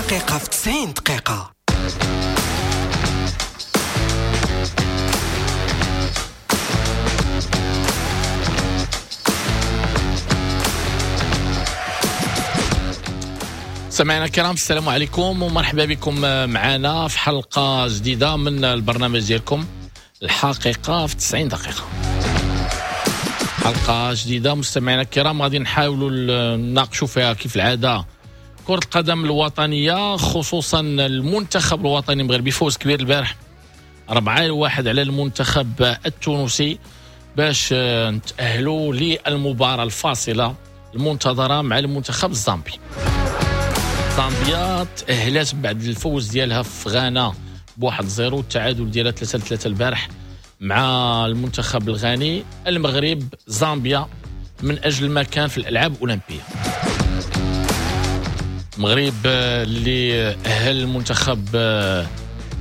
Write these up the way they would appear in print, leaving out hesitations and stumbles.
الحقيقة في 90 دقيقة. سمعنا الكرام، السلام عليكم ومرحبا بكم معنا في حلقة جديدة من البرنامج ديالكم الحقيقة في 90 دقيقة. حلقة جديدة مستمعينا الكرام غادي نحاولوا نناقشوا فيها كيف العادة كرة القدم الوطنية، خصوصا المنتخب الوطني المغربي. فوز كبير البارح 4-1 على المنتخب التونسي باش نتأهلوا للمباراة الفاصلة المنتظرة مع المنتخب الزامبي. زامبيا تأهلت بعد الفوز ديالها في غانا ب1-0 والتعادل ديالها 3-3 البارح مع المنتخب الغاني. المغرب زامبيا من أجل مكان في الألعاب الأولمبية. المغرب اللي أهل المنتخب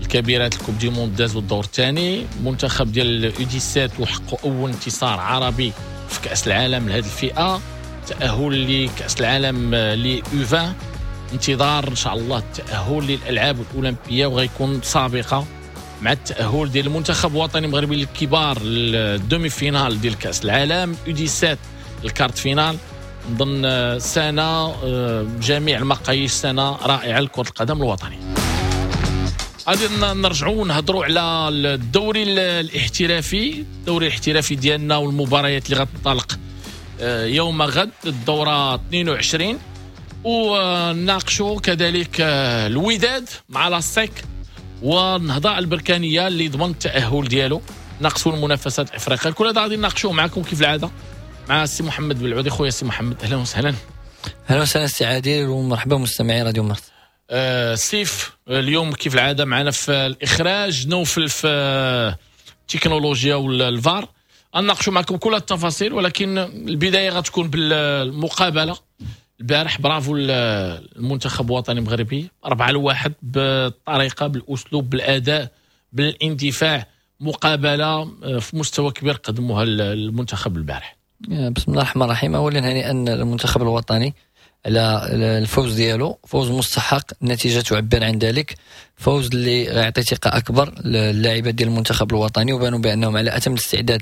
الكبيرات ال coupe du monde دازوا الدور الثاني، منتخب ديال U17 وحققوا أول انتصار عربي في كأس العالم لهذه الفئة، تأهل لكأس العالم ل U20، انتظار ان شاء الله التأهل للألعاب الأولمبية وغيكون سابقة مع التأهل ديال المنتخب الوطني المغربي للكبار لل demi-finale ديال كأس العالم، U17 ال quart de finale. نظن سنة بجميع المقاييس سنة رائعة لكرة القدم الوطنية. غادي نرجعوا ونهضروا على الدوري الاحترافي، الدوري الاحترافي ديالنا والمباريات اللي غتنطلق يوم غد الدورة 22، وناقشوا كذلك الوداد مع l'ASEC والنهضة البركانية اللي ضمن التأهل ديالو، ناقشوا المنافسات الإفريقية. كل هذا غادي نناقشوه معكم كيف العادة مع السي محمد بالعودي. خويا السي محمد، أهلا وسهلا. أهلا وسهلا السي عادل، ومرحبا مستمعي راديو مارس. سيف اليوم كيف العادة معنا في الإخراج، نوفل في التكنولوجيا والفار. نناقشوا معكم كل التفاصيل، ولكن البداية غتكون بالمقابلة البارح. برافو المنتخب الوطني المغربي 4-1 بالطريقة، بالأسلوب، بالأداء، بالاندفاع، مقابلة في مستوى كبير قدموها المنتخب البارح. بسم الله الرحمن الرحيم. أولا هنيئا المنتخب الوطني على الفوز ديالو، فوز مستحق، النتيجة تعبر عن ذلك، فوز اللي غيعطي ثقة أكبر للاعبات ديال المنتخب الوطني، وبانوا بأنهم على أتم الاستعداد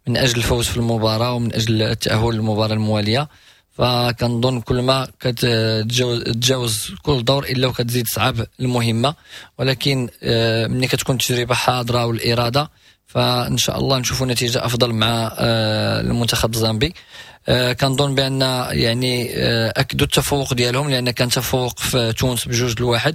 من أجل الفوز في المباراة ومن أجل التأهل للمباراة الموالية. فكنظن كل ما كتجاوز كل دور الا وكتزيد صعب المهمة، ولكن ملي كتكون التجربة حاضره والارادة فان شاء الله نشوفوا نتيجة افضل مع المنتخب الزامبي. كنظن بان يعني اكدوا التفوق ديالهم، لان كان تفوق في تونس ب2-1،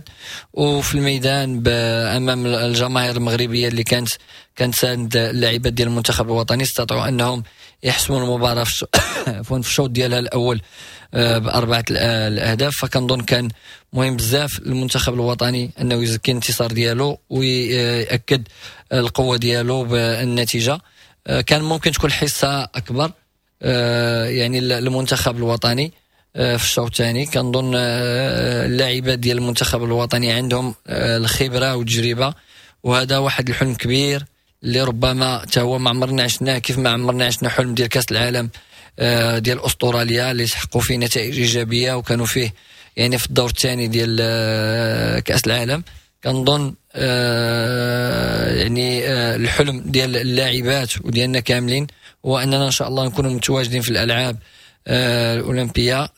وفي الميدان امام الجماهير المغربية اللي كانت ساند اللاعبات ديال المنتخب الوطني، استطاعوا انهم يحسموا المباراة في الشوط ديالها الاول ب4 الاهداف. فكنظن كان مهم بزاف المنتخب الوطني انه يزكي الانتصار ديالو ويأكد القوة ديالو بالنتيجة. كان ممكن تكون حصة اكبر يعني المنتخب الوطني في الشوط الثاني. كنظن اللاعبات ديال المنتخب الوطني عندهم الخبرة والتجربة، وهذا واحد الحلم كبير اللي ربما حتى هو ما عمرنا عشناه، كيف ما عمرنا عشنا حلم ديال كاس العالم ديال استراليا اللي حققوا فيه نتائج ايجابية وكانوا فيه يعني في الدور الثاني ديال كاس العالم. كنظن يعني الحلم ديال اللاعبات وديالنا كاملين هو اننا ان شاء الله نكونوا متواجدين في الالعاب الاولمبية.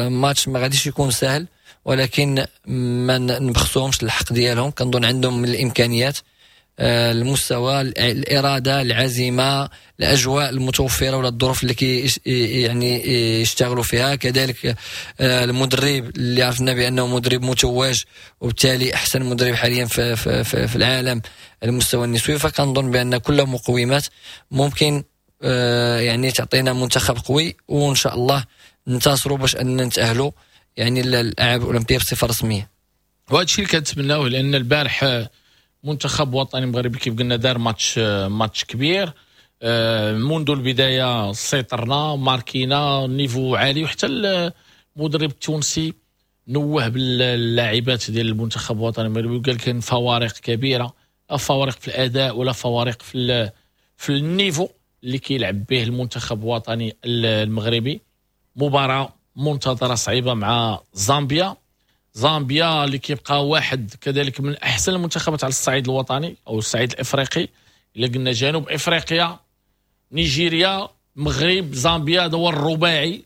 ماتش ما غاديش يكون سهل، ولكن ما نبخسوهمش الحق ديالهم. كنظن عندهم من الامكانيات، المستوى، الارادة، العزيمة، الاجواء المتوفرة ولا الظروف اللي كي يعني يشتغلوا فيها. كذلك المدرب اللي عرفنا بانه مدرب متوج، وبالتالي احسن مدرب حاليا في في في, في العالم المستوى النسوي. فكنظن بان كل مقومات ممكن يعني تعطينا منتخب قوي، وان شاء الله ننتصروا باش ان نتاهلوا يعني للالعاب الاولمبية بصفة رسمية. وهذا الشيء اللي كنتمناوه، لان البارح منتخب وطني مغربي كيف قلنا دار ماتش كبير منذ البداية، سيطرنا، ماركينا niveau عالي، وحتى المدرب التونسي نوه باللاعبات ديال المنتخب الوطني المغربي وقال كاين فوارق كبيرة، لا فوارق في الاداء ولا فوارق في ال niveau اللي كيلعب به المنتخب الوطني المغربي. مباراة منتظره صعيبة مع زامبيا. زامبيا اللي كيبقى واحد كذلك من احسن المنتخبات على الصعيد الوطني او الصعيد الافريقي. الا قلنا جنوب افريقيا، نيجيريا، المغرب، زامبيا، هذا هو الرباعي.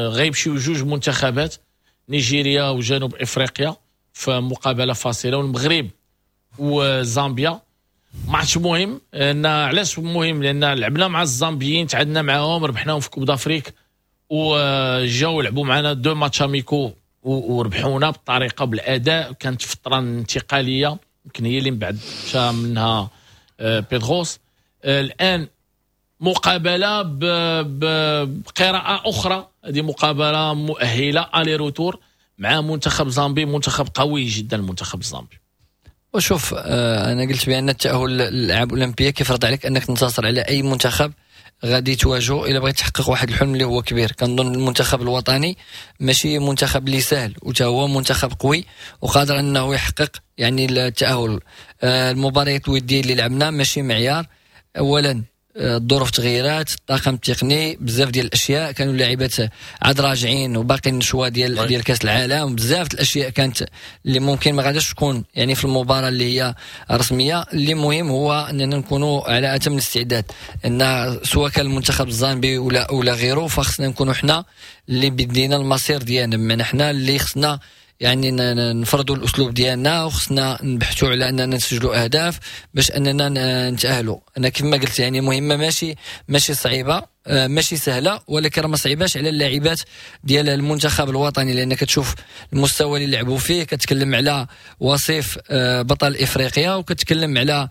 غيمشيو جوج منتخبات، نيجيريا وجنوب افريقيا، في مقابله فاصله، والمغرب وزامبيا. ماتش مهم. ان علاش مهم؟ لان لعبنا مع الزامبيين، تعادلنا معاهم، ربحناهم في Coupe d'Afrique، وجاو لعبوا معنا deux matchs amicaux وربحونا بالطريقه، بالاداء. كانت فترة انتقاليه، يمكن هي اللي من بعد مشى منها بيدروس. الان مقابله بقراءة اخرى، هذه مقابله مؤهلة aller-retour مع منتخب زامبي، منتخب قوي جدا المنتخب الزامبي. وشوف، انا قلت بان التاهل للالعاب الاولمبية كيفرض عليك انك تنتصر على اي منتخب غادي تواجهه الا بغيت تحقق واحد الحلم اللي هو كبير. كنظن المنتخب الوطني ماشي منتخب اللي سهل، وتا هو منتخب قوي وقادر انه يحقق يعني التاهل. المباريات الودية اللي لعبنا ماشي معيار. اولا الظروف تغيرات، الطاقم التقني، بزاف ديال الاشياء، كانوا اللاعبات عاد راجعين وباقي النشوة ديال كاس العالم، بزاف الاشياء كانت اللي ممكن ما غاداش تكون يعني في المباراة اللي هي رسميه. اللي مهم هو اننا نكونوا على اتم الاستعداد، ان سواء كان المنتخب الزامبي ولا غيره، فخصنا نكونوا حنا اللي بدينا المصير ديالنا، بمعنى حنا اللي خصنا يعني نفرضوا الاسلوب ديالنا، وخصنا نبحثوا على اننا نسجلوا اهداف باش اننا نتاهلوا. انا كما قلت يعني مهمة ماشي صعيبه، ماشي سهله، ولكن راه ما صعيباش على اللاعبات ديال المنتخب الوطني، لان كتشوف المستوى اللي لعبوا فيه، كتكلم على وصيف بطل افريقيا، وكتكلم على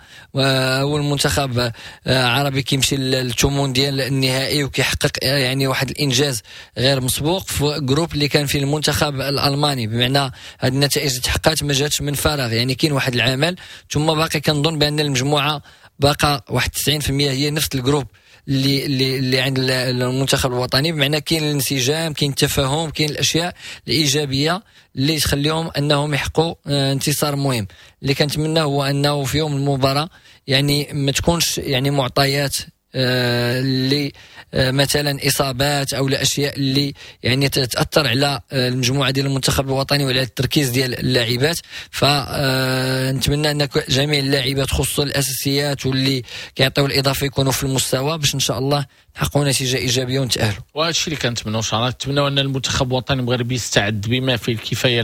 اول منتخب عربي كيمشي للثمن ديال النهائي وكيحقق يعني واحد الانجاز غير مسبوق في groupe اللي كان فيه المنتخب الالماني. بمعنى هذه النتائج اللي تحققت ما جاتش من فراغ، يعني كاين واحد العمل. ثم باقي كنظن بان المجموعة باقا واحد 90% هي نفس ال groupe اللي عند المنتخب الوطني، بمعنى كاين الانسجام، كاين التفاهم، كاين الاشياء الايجابية اللي تخليهم انهم يحققوا انتصار مهم. اللي كنتمنى هو انه في يوم المباراة يعني ما تكونش يعني معطيات اللي مثلا اصابات او الاشياء اللي يعني تتاثر على المجموعة ديال المنتخب الوطني وعلى التركيز ديال اللاعبات. فنتمنى ان جميع اللاعبات خصوصا الاساسيات واللي كيعطيو الاضافة يكونوا في المستوى باش ان شاء الله نحققوا نتيجة ايجابية ونتاهلوا. وهذا الشيء اللي كنتمنوا ان شاء الله. نتمنوا ان المنتخب الوطني المغربي يستعد بما فيه الكفاية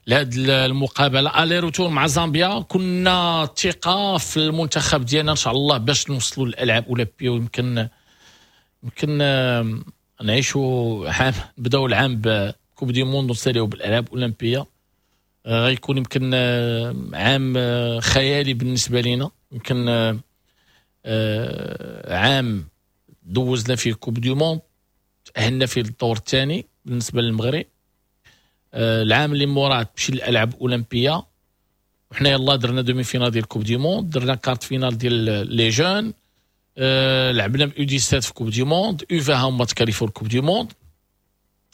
لهاد المقابلة aller-retour مع زامبيا. كنا ثقة في المنتخب ديالنا ان شاء الله باش نوصلوا للالعاب الاولمبيه، ويمكن نعيشوا عام، نبداو العام ب Coupe du monde ونساليو بالالعاب الاولمبيه. غيكون يمكن عام خيالي بالنسبة لنا، يمكن عام دوزنا فيه Coupe du monde، تاهلنا فيه للدور الثاني بالنسبة للمغرب، العام اللي موراه تمشي للالعاب الاولمبيه، وحنا يلاه درنا demi-finale ديال Coupe du monde، درنا quart de finale ديال les jeunes، لعبنا ب U17 في Coupe du monde، U20 هما تكاليفو Coupe du monde.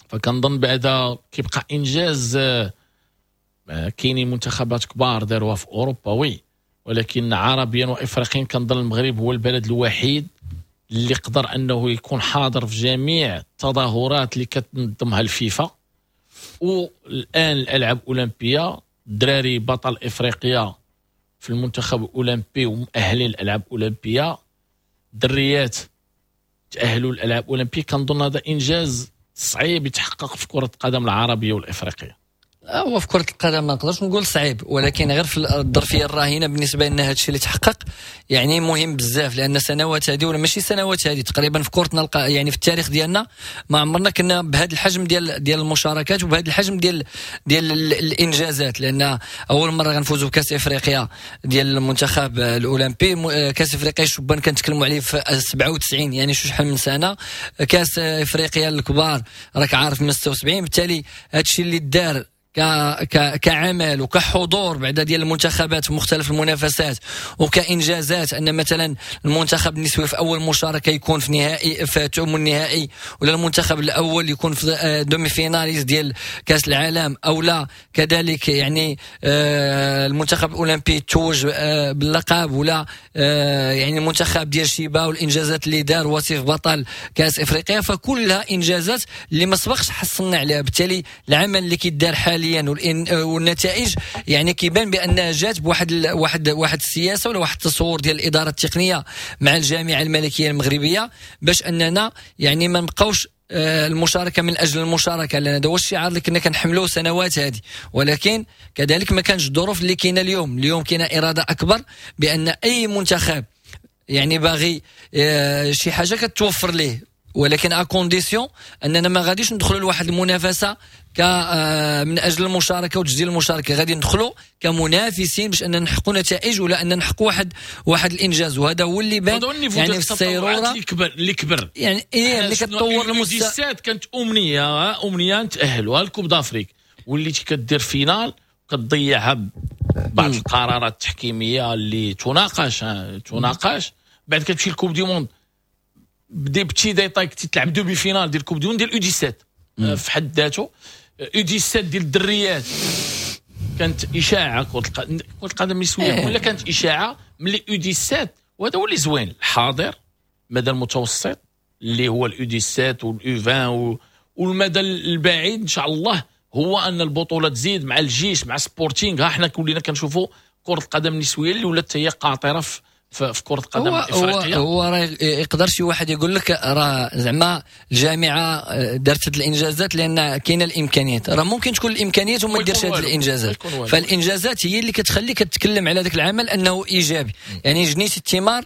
فكنظن بعدا كيبقى انجاز. كاينين منتخبات كبار داروها في اوروبا oui، ولكن عربيا وافريقيا كنظن المغرب هو البلد الوحيد اللي قدر انه يكون حاضر في جميع التظاهرات اللي كتنظمها الفيفا، والان الالعاب الاولمبيه، الدراري بطل افريقيا في المنتخب الاولمبي ومؤهلين للالعاب الاولمبيه، الدريات تاهلوا للالعاب الاولمبية. كنظن هذا انجاز صعيب يتحقق في كره القدم العربية والافريقيه. هو في كرة القدم ما نقدرش نقول صعيب، ولكن غير في الظرفية الراهنة بالنسبة لنا هذا الشيء اللي تحقق يعني مهم بزاف، لأن سنوات هذه ولا ماشي سنوات هذه تقريبا في كرتنا يعني في التاريخ ديالنا ما عمرنا كنا بهذا الحجم ديال المشاركات وبهذا الحجم ديال الإنجازات. لأن أول مرة غنفوزوا بكأس إفريقيا ديال المنتخب الأولمبي، كأس إفريقيا الشبان كنتكلموا عليه في 97، يعني شو شحال من سنة، كأس إفريقيا الكبار راك عارف من 76. بالتالي هذا الشيء اللي دار كعمل وكحضور بعدا ديال المنتخبات في مختلف المنافسات وكانجازات، ان مثلا المنتخب النسوي في اول مشاركة يكون في نهائي في ثمن النهائي، ولا المنتخب الاول يكون في demi-finaliste ديال كاس العالم، او لا كذلك يعني المنتخب الاولمبي توج باللقب، ولا يعني المنتخب ديال شيبا والانجازات اللي دار وصيف بطل كاس افريقيا. فكلها انجازات اللي ما سبقش حصلنا عليها. بالتالي العمل اللي كيدار حاليا والنتائج يعني كيبان بانها جات بواحد واحد واحد السياسة ولا واحد التصور ديال الادارة التقنية مع الجامعة الملكية المغربية، باش اننا يعني ما نبقاوش المشاركة من اجل المشاركة، لان هذا هو الشعار اللي كنا كنحملوه سنوات هذه. ولكن كذلك ما كانش الظروف اللي كاينه اليوم. اليوم كاينه اراده اكبر بان اي منتخب يعني باغي شي حاجة كتوفر ليه، ولكن à condition اننا ما غاديش ندخلوا لواحد المنافسة من اجل المشاركة وتسجيل المشاركة، غادي ندخلوا كمنافسين باش اننا نحققوا نتائج ولا ان نحققوا واحد الانجاز. وهذا هو اللي بان يعني في السيروره اللي كبر يعني ايه اللي كتطور المستوى. كانت امنية نتاهلوا ال Coupe d'Afrique، وليتي كدير finale كتضيعها بعض القرارات التحكيميه اللي تناقش. بعد كتمشي ال Coupe du monde ب des petits détails، تلعب demi-finale ديال Coupe du monde ديال U 17 في حد ذاته. U 17 ديال الدريات كانت اشاعة كره القدم النسوية ولا كانت اشاعة ملي U 17، وهذا هو اللي زوين الحاضر المدى المتوسط اللي هو ال U 17 وال U 20 والمدى البعيد ان شاء الله هو ان البطولة تزيد مع الجيش مع سبورتينغ. ها حنا كلنا كنشوفوا كره القدم النسوية اللي ولات هي قاطره في كرة القدم الافريقية. هو راه يقدر شي واحد يقول لك راه زعما الجامعة دارت هاد الانجازات لان كاينه الامكانيات، راه ممكن تكون الامكانيات وما ديرش هاد الانجازات. فالانجازات هي اللي كتخليك تتكلم على ذاك العمل انه ايجابي، يعني جنيت الثمار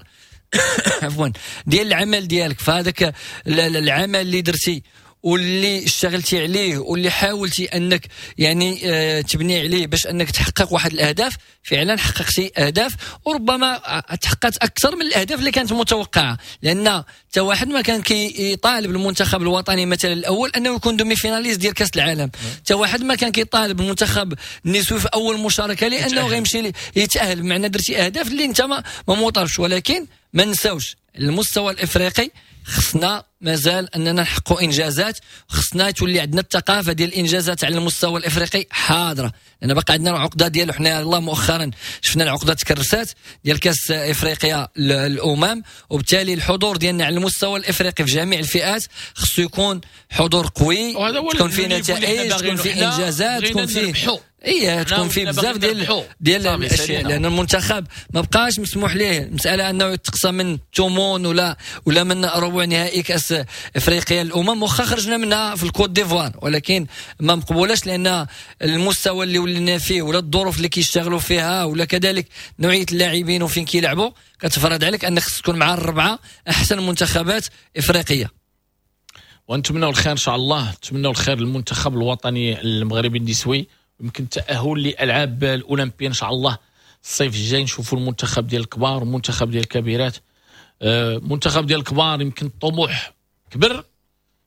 عفوا ديال العمل ديالك. فهذاك العمل اللي درتي واللي اشتغلتي عليه واللي حاولتي انك يعني تبني عليه باش انك تحقق واحد الاهداف، فعلا حققتي اهداف وربما تحققت اكثر من الاهداف اللي كانت متوقعه، لان حتى واحد ما كان كيطالب المنتخب الوطني مثلا الاول انه يكون demi-finaliste ديال كاس العالم، حتى واحد ما كان كيطالب المنتخب النسوي في اول مشاركة لانه غيمشي يتاهل، بمعنى درتي اهداف اللي انت ما مطالبش. ولكن ما نساوش المستوى الافريقي خصنا مازال اننا نحققوا انجازات، خصنا تولي عندنا الثقافة ديال الانجازات على المستوى الافريقي حاضره، لان باقي عندنا العقدة ديالو. حنا الله مؤخرا شفنا العقدة تكرسات ديال كاس افريقيا الامم، وبالتالي الحضور ديالنا على المستوى الافريقي في جميع الفئات خصو يكون حضور قوي، تكون فيه نتائج، تكون فيه انجازات، تكون فيه ايه تكون فيه بزاف ديال الاشياء، لان المنتخب ما بقاش مسموح ليه المسالة انه يتقصى من ثمن ولا من ربع نهائي كاس افريقيا الامم، واخا خرجنا منها في الكوت ديفوار، ولكن ما مقبولاش لان المستوى اللي ولينا فيه ولا الظروف اللي كيشتغلوا فيها ولا كذلك نوعية اللاعبين وفين كيلعبوا كتفرض عليك انك خصك تكون مع الربعه احسن منتخبات افريقية. ونتمنوا الخير ان شاء الله، نتمنوا الخير للمنتخب الوطني المغربي النسوي، يمكن التأهل لألعاب الأولمبية إن شاء الله الصيف الجاي. نشوفوا المنتخب ديال الكبار والمنتخب ديال الكبيرات. المنتخب ديال الكبار يمكن الطموح كبر،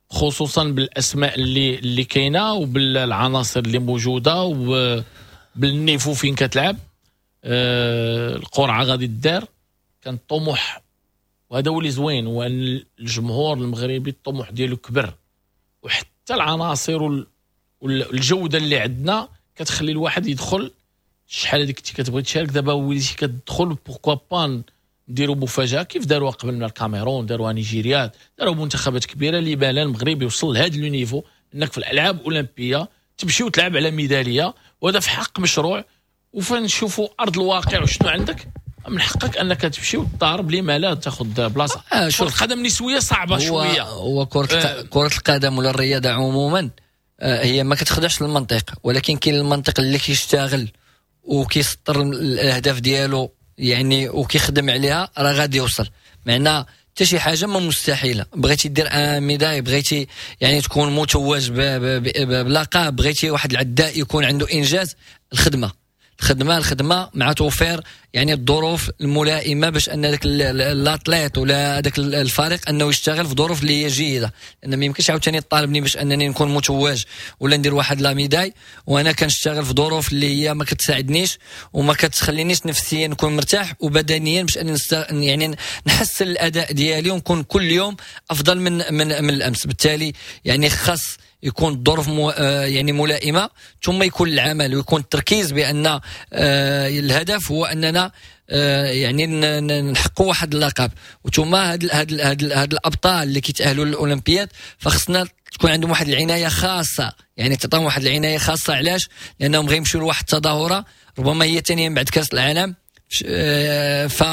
خصوصا بالأسماء اللي كاينة وبالعناصر اللي موجودة وبال niveau فين كتلعب. القرعة غادي تدار، كان الطموح، وهذا هو اللي زوين، هو أن الجمهور المغربي الطموح ديالو كبر، وحتى العناصر والجودة اللي عندنا كتخلي الواحد يدخل. شحال هذيك كنتي كتبغي تشارك، دابا وليتي كتدخل pourquoi pas نديروا مفاجاة كيف داروها قبل من الكاميرون، داروها نيجيريا، داروا منتخبات كبيرة اللي بان المغرب يوصل لهذا le niveau انك في الالعاب الاولمبية تمشي وتلعب على ميدالية، وهذا في حق مشروع. وفنشوفوا ارض الواقع وشنو عندك، من حقك انك تمشي وتضارب لما لا تاخذ بلاصة. كره القدم النسوية صعبة شوية، هو كره القدم ولا الرياضة عموما هي ما كتخدعش المنطق، ولكن كاين المنطق اللي كيشتغل وكيسطر الاهداف ديالو يعني وكيخدم عليها راه غادي يوصل. معنى حتى شي حاجة ما مستحيلة، بغيتي دير un médaille، بغيتي يعني تكون متوج بلقب، بغيتي واحد العداء يكون عنده انجاز، الخدمة الخدمة الخدمة مع توفير يعني الظروف الملائمة باش ان ذاك l'athlète ولا هذاك الفريق انه يشتغل في ظروف اللي هي جيده، لان ما يمكنش عاوتاني طالبني باش انني نكون متوج ولا ندير واحد la médaille وانا كنشتغل في ظروف اللي هي ما كتساعدنيش وما كتخلينيش نفسيا نكون مرتاح وبدنيا باش انني يعني نحسن الاداء ديالي ونكون كل يوم افضل من الامس. بالتالي يعني خاص يكون الظروف يعني ملائمه، ثم يكون العمل ويكون التركيز بان الهدف هو اننا يعني نحققوا واحد اللقب، وثم هاد الابطال اللي كيتاهلوا للاولمبياد فخصنا تكون عندهم واحد العناية خاصة، يعني تعطيهم واحد العناية خاصة. علاش؟ لانهم غيمشيو لواحد التظاهرة ربما هي ثانية من بعد كاس العالم، ف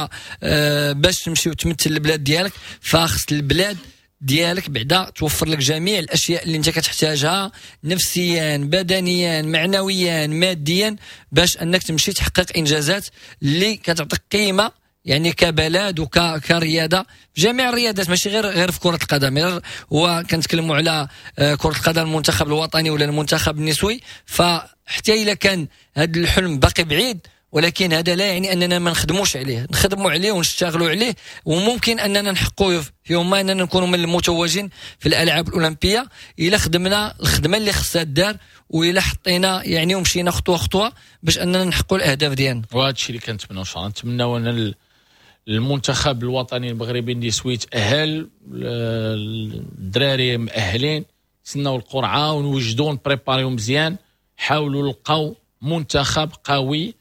باش تمشي وتمثل البلاد ديالك فخص البلاد ديالك بعدا توفر لك جميع الاشياء اللي انت كتحتاجها نفسيا بدنيا معنويا ماديا باش انك تمشي تحقق انجازات اللي كتعطيك قيمة يعني كبلد وكرياضه في جميع الرياضات، ماشي غير في كره القدم. غير هو كنتكلموا على كره القدم المنتخب الوطني ولا المنتخب النسوي، فحتى الا كان هذا الحلم باقي بعيد ولكن هذا لا يعني اننا ما نخدموش عليه، نخدموا عليه ونشتغلوا عليه، وممكن اننا نحققوا في يوم ما اننا نكونوا من المتوجين في الالعاب الاولمبية الا خدمنا الخدمة اللي خصها دار والى حطينا يعني ومشينا خطوة خطوة باش اننا نحققوا الاهداف ديالنا. وهذا الشيء اللي كنتمناو ان شاء الله، نتمناو ان المنتخب الوطني المغربي النسوي يتاهل، الدراري مؤهلين، نتسناو القرعة ونوجدوا نبريباريو مزيان، حاولوا نلقاو منتخب قوي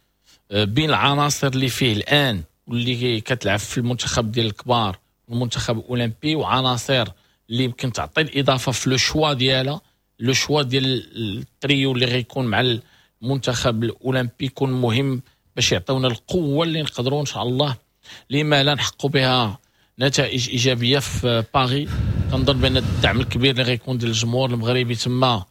بين العناصر اللي فيه الان واللي كتلعب في المنتخب ديال الكبار والمنتخب الاولمبي، وعناصر اللي يمكن تعطي الاضافة في le choix ديالها، le choix ديال التريو اللي غيكون مع المنتخب الاولمبي يكون مهم باش يعطيونا القوة اللي نقدروا ان شاء الله لما لا نحققوا بها نتائج ايجابية في باريس. كنظن بان الدعم الكبير اللي غيكون ديال الجمهور المغربي تما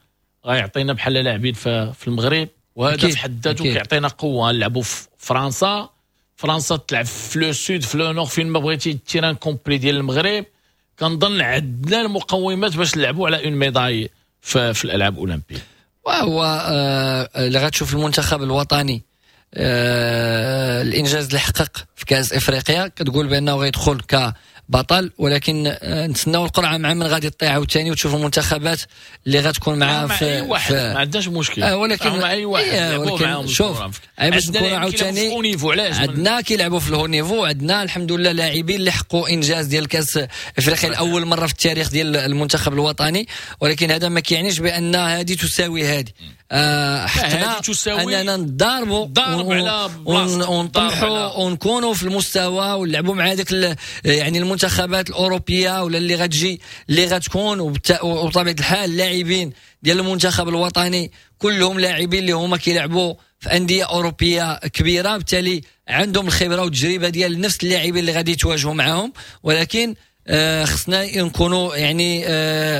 غيعطينا بحال لاعبين في المغرب، وهذا في حد ذاته كيعطينا قوة. نلعبوا في فرنسا، فرنسا تلعب في le sud في le nord، فين ما بغيتي ال terrain complet ديال المغرب. كنظن عندنا المقومات باش نلعبوا على une médaille في الالعاب الاولمبية. وهو اللي غتشوف المنتخب الوطني الانجاز اللي حقق في كاس افريقيا كتقول بانه غيدخل كبطل، ولكن نتسناو القرعة مع من غادي تطيح عاوتاني وتشوف المنتخبات اللي غتكون معاه في اي واحد ما عندناش مشكل ولكن مع اي واحد. ولكن شوف باش نكونوا عاوتاني عندنا كيلعبوا في ال haut niveau، عندنا الحمد لله لاعبين اللي حققوا انجاز ديال كاس افريقيا لاول مرة في التاريخ ديال المنتخب الوطني، ولكن هذا ما كيعنيش بان هذه تساوي هذه. حقنا اننا نضاربوا ونطمحوا ونكونوا في المستوى ونلعبوا مع هذاك يعني المنتخبات الاوروبية ولا اللي غتجي اللي غتكون. وبطبيعة الحال اللاعبين ديال المنتخب الوطني كلهم لاعبين اللي هما كيلعبوا في اندية اوروبية كبيرة، بالتالي عندهم الخبرة والتجربة ديال نفس اللاعبين اللي غادي يتواجهوا معاهم. ولكن خصنا نكونوا يعني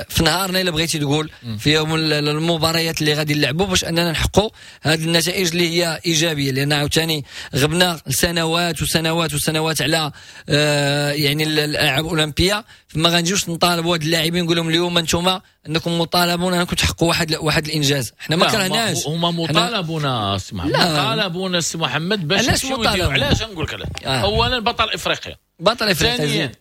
في نهارنا الا بغيتي تقول في يوم المباريات اللي غادي نلعبوا باش اننا نحققوا هذه النتائج اللي هي ايجابية، لان عاوتاني غبنا سنوات وسنوات وسنوات على يعني الالعاب الاولمبية، فما غنجيوش نطالبوا هاد اللاعبين نقول لهم اليوم انتم انكم مطالبون انكم تحققوا واحد الانجاز. حنا ما كرهناش، هما مطالبون سي محمد، مطالبون سي محمد باش نمشيو. علاش نقول لك علاش؟ اولا بطل افريقيا، بطل افريقيا،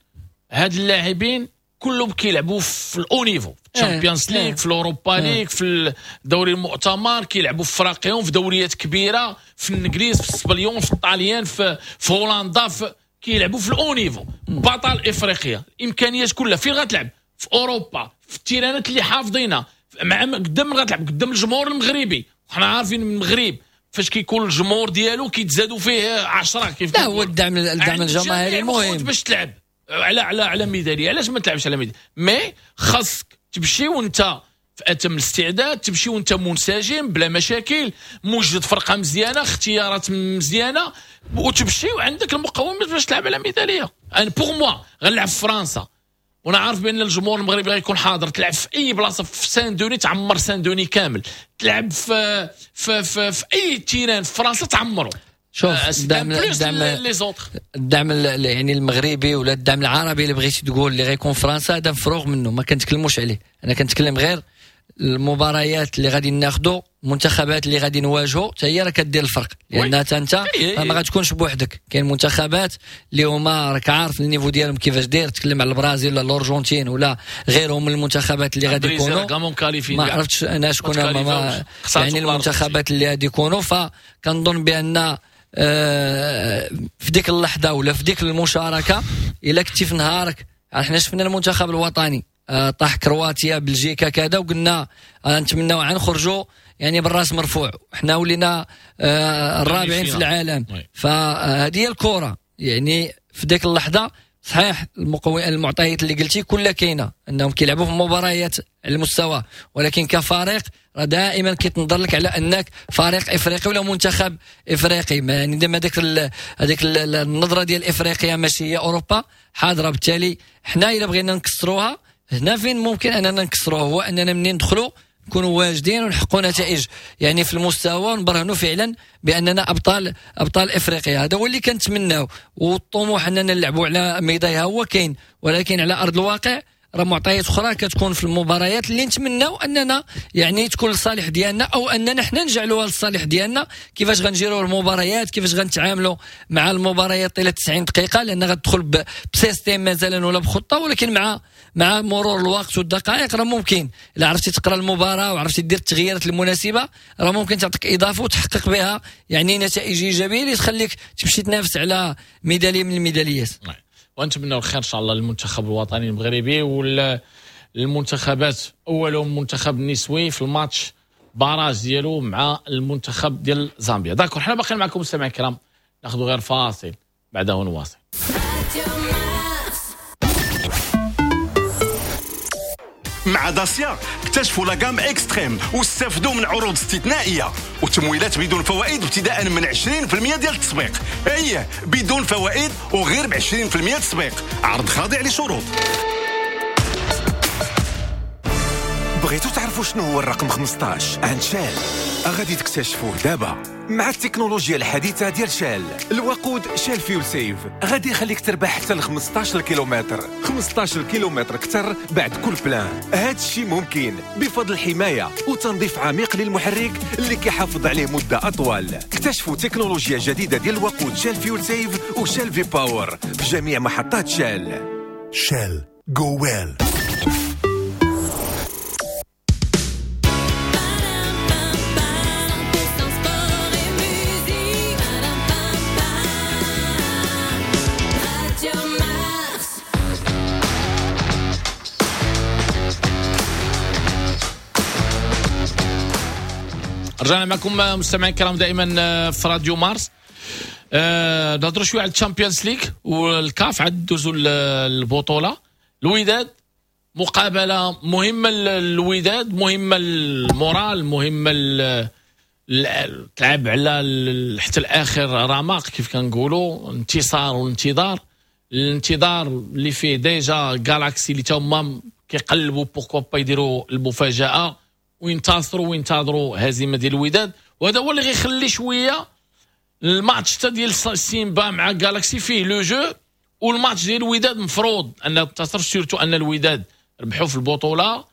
هاد اللاعبين كلهم كيلعبوا في ال haut niveau، في ال Champions League، في ال Europa League، في الدوري المؤتمر، كيلعبوا في فراقيهم في دوريات كبيرة، في الانجليز، في السبليون، في الطاليان، في هولندا، كيلعبوا في ال haut niveau. بطل افريقيا، الامكانيات كلها فين غتلعب؟ في اوروبا، في التيرانات اللي حافظينها، مع قدام غتلعب قدام الجمهور المغربي. وحنا عارفين المغرب فاش كيكون الجمهور ديالو كيتزادوا فيه 10 كيف. لا هو الدعم الجماهيري المهم باش تلعب على على على ميدالية. علاش ما تلعبش على ميدالية؟ mais خاصك تمشي وانت في اتم الاستعداد، تمشي وانت منسجم بلا مشاكل، موجد فرقه مزيانه، اختيارات مزيانه، وتمشي وعندك المقومات باش تلعب على ميدالية. انا pour moi غنلعب في فرنسا وانا عارف بان الجمهور المغربي غيكون حاضر. تلعب في اي بلاصة في سان دوني تعمر سان دوني كامل، تلعب في في في, في اي terrain في فرنسا تعمره. شوف الدعم الدعم يعني المغربي ولا الدعم العربي اللي بغيتي تقول اللي غيكون فرنسا هذا مفروغ منه، ما كنتكلموش عليه. انا كنتكلم غير المباريات اللي غادي ناخذوا المنتخبات اللي غادي نواجهوا حتى هي راه كدير الفرق، لان حتى انت ما غتكونش بوحدك. كاين منتخبات اللي هما راك عارف ال niveau ديالهم كيفاش داير، تكلم على البرازيل ولا الارجنتين ولا غيرهم من المنتخبات اللي غادي يكونوا، ما عرفتش انا شكون هما يعني المنتخبات اللي غادي يكونوا. فكنظن بان في ديك اللحظة ولا في ديك المشاركة الا كنتي في نهارك، حنا شفنا المنتخب الوطني طاح كرواتيا بلجيكا كذا، وقلنا نتمناو نخرجوا يعني بالراس مرفوع، حنا ولينا الرابعين في العالم. فهذه هي الكره يعني في ديك اللحظة. صحيح المعطيات اللي قلتي كلها كاينه، انهم كيلعبوا في مباريات على المستوى، ولكن كفريق راه دائما كيتنظر لك على انك فريق افريقي ولا منتخب افريقي، يعني دائما هذيك النظرة ديال افريقيا ماشي هي اوروبا حاضره. بالتالي حنا الا بغينا نكسروها هنا فين ممكن اننا نكسروها، هو اننا منين ندخلوا نكونوا واجدين ونحققوا نتائج يعني في المستوى، ونبرهنوا فعلا باننا ابطال افريقيا. هذا هو اللي كنتمناو، والطموح اننا نلعبوا على ميدايها هو كاين، ولكن على ارض الواقع راه معطيات اخرى كتكون في المباريات اللي نتمناو اننا يعني تكون للصالح ديالنا، او اننا حنا نجعلوها للصالح ديالنا. كيفاش غنجيروا المباريات، كيفاش غنتعاملوا مع المباريات طيلة 90 دقيقة، لان غتدخل ب système مثلا ولا بخطه، ولكن مع مرور الوقت والدقائق راه ممكن الا عرفتي تقرا المباراة وعرفتي دير التغييرات المناسبة راه ممكن تعطيك اضافه وتحقق بها يعني نتائج ايجابية اللي تخليك تمشي تنافس على ميدالية من الميداليات. ونتمنى الخير ان شاء الله للمنتخب الوطني المغربي والمنتخبات، اولهم المنتخب النسوي في ال match barrage ديالو مع المنتخب ديال زامبيا. d'accord، حنا باقيين معكم مستمعين الكرام، ناخذ غير فاصل بعده نواصل. مع داسيا اكتشفوا la gamme Extreme واستفدوا من عروض استثنائية وتمويلات بدون فوائد ابتداء من 20% ديال التسبيق. ايه بدون فوائد وغير ب 20% تسبيق، عرض خاضع لشروط. بغيتو تعرفوا شنو هو الرقم 15 عند شال؟ غادي تكتشفوه دابا مع التكنولوجيا الحديثة ديال شال. الوقود شال Fuel Save غادي يخليك تربح حتى ل 15 كيلومتر، 15 كيلومتر اكثر بعد كل plein. هذا الشيء ممكن بفضل الحماية وتنظيف عميق للمحرك اللي كيحافظ عليه مدة أطول. اكتشفوا تكنولوجيا جديدة ديال الوقود شال Fuel Save وشال V-Power في جميع محطات شال. شال go well. رجعنا معكم مستمعين الكرام دائما في راديو مارس. نهضروا شوية على الشامبيونز ليغ والكاف، عاد دوزوا البطولة. الوداد مقابله مهمة للوداد، مهمة ال moral، مهمة تلعب على حتى الاخر رمق كيف كنقولوا، انتصار وانتظار. الانتظار اللي فيه déjà جالاكسي اللي تما كيقلبوا pourquoi pas يديروا المفاجاة وينتصروا وينتظروا هزيمة ديال الوداد، وهذا هو اللي غيخلي شوية الماتش حتى ديال سيمبا مع جالاكسي فيه le jeu، والماتش ديال الوداد مفروض ان تنتصر، surtout ان الوداد ربحوا في البطولة،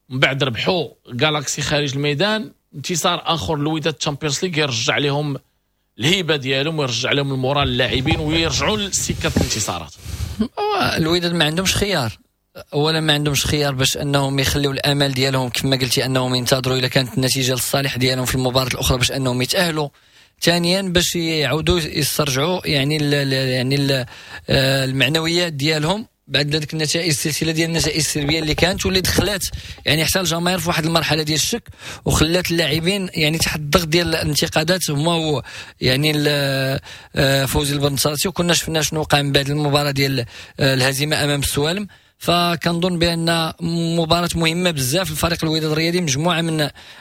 من بعد ربحوا جالاكسي خارج الميدان. انتصار اخر للوداد تشامبيونز ليغ يرجع لهم الهيبة ديالهم ويرجع لهم ال moral اللاعبين ويرجعوا لسكه الانتصارات. الوداد ما عندهمش خيار، اولا ما عندهمش خيار باش انهم يخليو الامال ديالهم كما قلتي انهم ينتظروا الا كانت النتيجة للصالح ديالهم في المباراة الاخرى باش انهم يتاهلوا، ثانيا باش يعاودوا يسترجعوا يعني ال يعني ال المعنويات ديالهم بعد هذيك النتائج، السلسلة ديال النتائج السلبية اللي كانت واللي دخلات يعني حتى الجماهير في واحد المرحلة ديال الشك وخلات اللاعبين يعني تحت الضغط ديال الانتقادات هما يعني فوزي البنصاتي، وكنا شفنا شنو وقع من بعد المباراة ديال الهزيمة امام السوالم. فكنظن بان مباراة مهمة بزاف للفريق الوداد الرياضي مجموعة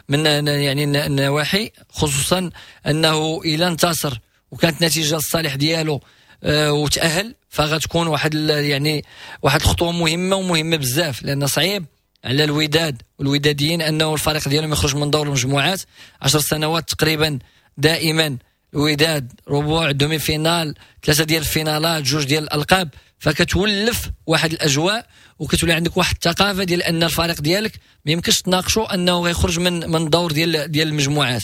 من يعني النواحي، خصوصا انه الى انتصر وكانت نتيجة للصالح ديالو وتاهل فغتكون واحد يعني واحد الخطوة مهمة ومهمة بزاف، لان صعيب على الوداد والوداديين انه الفريق ديالهم يخرج من دور المجموعات. 10 سنوات تقريبا دائما الوداد ربع demi-finale، 3 ديال الفينالات، 2 ديال الالقاب، فكتولف واحد الاجواء وكتولي عندك واحد الثقافة ديال ان الفريق ديالك ما يمكنش تناقشوا انه غيخرج من الدور ديال المجموعات.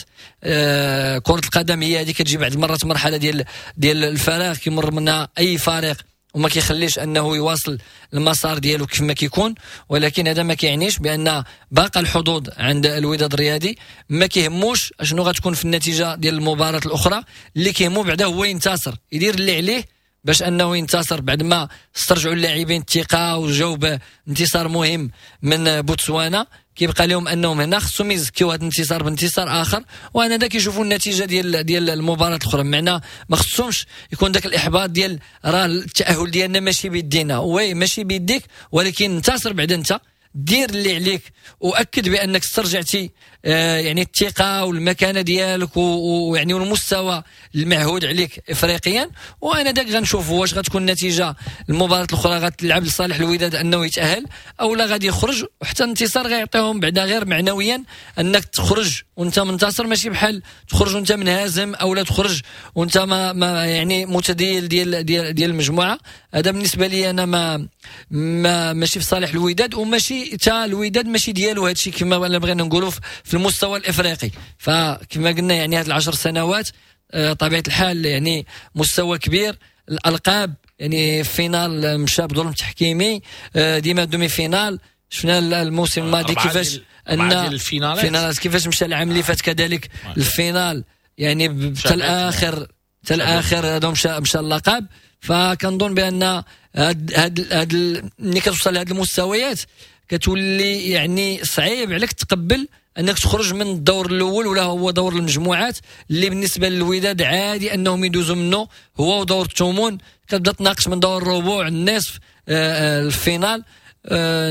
كره القدم هي هذه، كتجي بعض المرات مرحلة ديال الفراغ كيمر منها اي فريق وما كيخليش انه يواصل المسار ديالو كيف ما كيكون، ولكن هذا ما كيعنيش بان باقى الحظوظ عند الوداد الرياضي. ما كيهموش اشنو غتكون في النتيجة ديال المباراة الاخرى، اللي كيهمو بعدا هو ينتصر، يدير اللي عليه باش انه ينتصر بعد ما استرجعوا اللاعبين الثقة وجاو بانتصار مهم من بوتسوانا. كيبقى لهم انهم هنا خصهم يزكيو هذا الانتصار بانتصار اخر، وانا دا كيشوفوا النتيجة ديال المباراة الاخرى. معنى ما خصهمش يكون ذاك الاحباط ديال راه التاهل ديالنا ماشي بيدينا. oui ماشي بيديك، ولكن انتصر بعد، انت دير اللي عليك واكد بانك استرجعتي يعني الثقة والمكانة ديالك ويعني والمستوى المعهود عليك افريقيا. وانا داك غنشوفوا واش غتكون النتيجة المباراة الاخرى غتلعب لصالح الوداد انه يتاهل او لا غادي يخرج، وحتى الانتصار غيعطيهم بعدا غير معنويا انك تخرج وانت منتصر، ماشي بحال تخرج وانت منهزم او لا تخرج وانت ما يعني متديل ديال ديال ديال المجموعة. هذا بالنسبة لي انا ما ماشي في صالح الوداد، وماشي حتى الوداد ماشي ديالو هادشي كما بغينا نقولوا في المستوى الافريقي. فكما قلنا يعني هاد 10 سنوات طبيعة الحال يعني مستوى كبير، الالقاب يعني finale مشى بظلم تحكيمي، ديما demi-finale. شفنا الموسم الماضي كيفاش ان ال finale كيفاش مشى العام اللي فات كذلك ال finale، يعني حتى الاخر هذا مشى اللقب. فكنظن بان هاد ملي كتوصل لهاد المستويات كتولي يعني صعيب عليك تقبل انك تخرج من الدور الاول ولا هو دور المجموعات اللي بالنسبة للوداد عادي انهم يدوزوا منه هو ودور الثمن. كتبدا تناقش من دور الربوع، النصف، ال finale.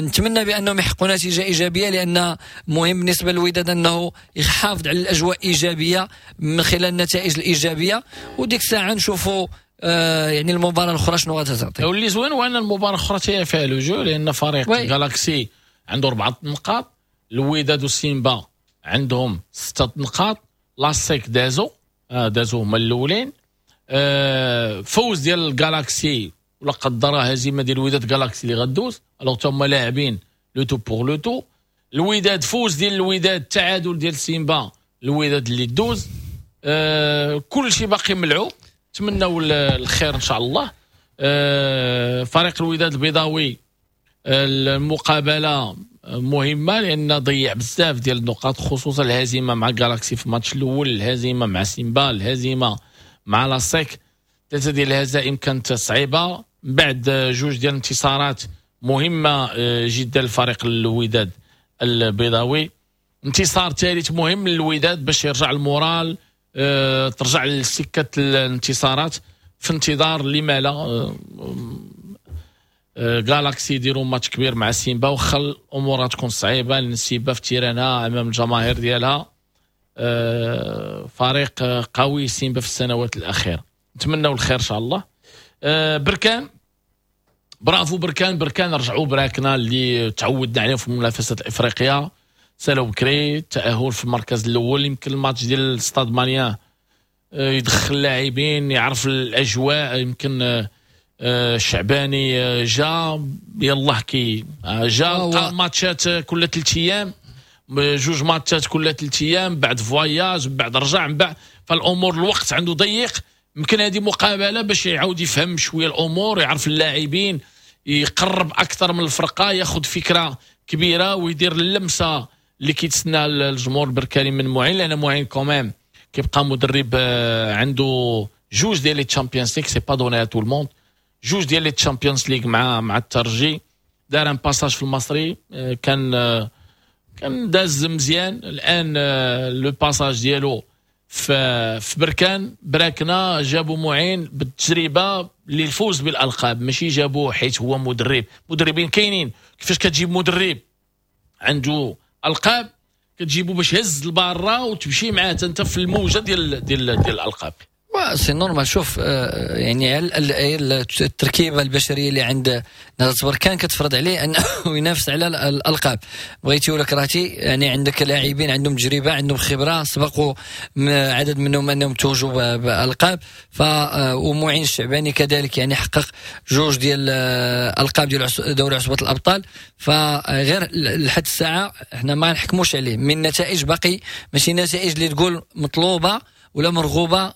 نتمنى بانهم يحققوا نتيجة ايجابية، لان مهم بالنسبة للوداد انه يحافظ على الاجواء ايجابية من خلال النتائج الايجابية، وديك الساعة نشوفوا يعني المباراة الاخرى شنو غتعطي. واللي زوين هو ان المباراة الاخرى فيها le jeu، لان فريق جالاكسي عنده 4 نقاط، الوداد وسيمبا عندهم 6 نقاط، لاسيك دازو هما الاولين. فوز ديال الجالاكسي ولا قدر هزيمة ديال الوداد جالاكسي اللي غدوز، alors هما لاعبين le tout pour le tout. الوداد فوز ديال الوداد، تعادل ديال سيمبا، الوداد اللي دوز. كل شيء باقي ملعوب، نتمنوا الخير ان شاء الله. فريق الوداد البيضاوي المقابلة مهمة لان ضيع بزاف ديال النقاط، خصوصا الهزيمة مع جالاكسي في الماتش الاول، الهزيمة مع سيمبا، الهزيمة مع لاسيك. 3 ديال الهزائم كانت صعيبة، من بعد 2 ديال الانتصارات مهمة جدا لفريق الوداد البيضاوي. انتصار ثالث مهم للوداد باش يرجع ال moral، ترجع لسكه الانتصارات في انتظار لما لا جالاكسي يديروا ماتش كبير مع سيمبا، وخا الامور تكون صعيبة لان سيمبا في terrain ها امام الجماهير ديالها. فريق قوي سيمبا في السنوات الاخيرة، نتمنوا الخير ان شاء الله. بركان، برافو بركان، بركان رجعوا براكنا اللي تعودنا عليهم في المنافسات الافريقية. سالوا بكري التاهل في المركز الاول، يمكن الماتش ديال ستاد ماليان يدخل اللاعبين يعرف الاجواء، يمكن الشعباني جا يلاه كي جا ماتشات كل 3 ايام، 2 ماتشات كل 3 ايام، بعد voyage، بعد رجع، من بعد، فالامور الوقت عنده ضيق. يمكن هذه مقابله باش يعاود يفهم شوية الامور، يعرف اللاعبين، يقرب اكثر من الفرقة، ياخذ فكرة كبيرة ويدير اللمسة اللي كيتسنى الجمهور البركاني من معين، لان معين quand même كيبقى مدرب عنده 2 ديال les Champions League، c'est pas donné à tout le monde. 2 ديال les Champions League مع الترجي، دار un passage في المصري كان داز مزيان. الان le passage ديالو في بركان، براكنا جابوا معين بالتجربة للفوز بالالقاب، ماشي جابوه حيت هو مدرب. مدربين كاينين، كيفاش كتجيب مدرب عنده القاب؟ كتجيبو باش يهز الباره وتمشي معاه انت في الموجه ديال ديال ديال الالقاب. c'est normal. شوف يعني التركيبة البشرية اللي عند نهضة بركان كتفرض عليه انه ينافس على الالقاب، بغيتي ولا كرهتي. يعني عندك لاعبين عندهم تجربه، عندهم خبره، سبقوا عدد منهم انهم توجوا بالقاب. ف ومعين الشعباني كذلك يعني حقق جوج ديال القاب ديال دوري عصبه الابطال. فغير لحد الساعة احنا ما نحكموش عليه من نتائج، باقي ماشي نتائج اللي تقول مطلوبه ولا مرغوبة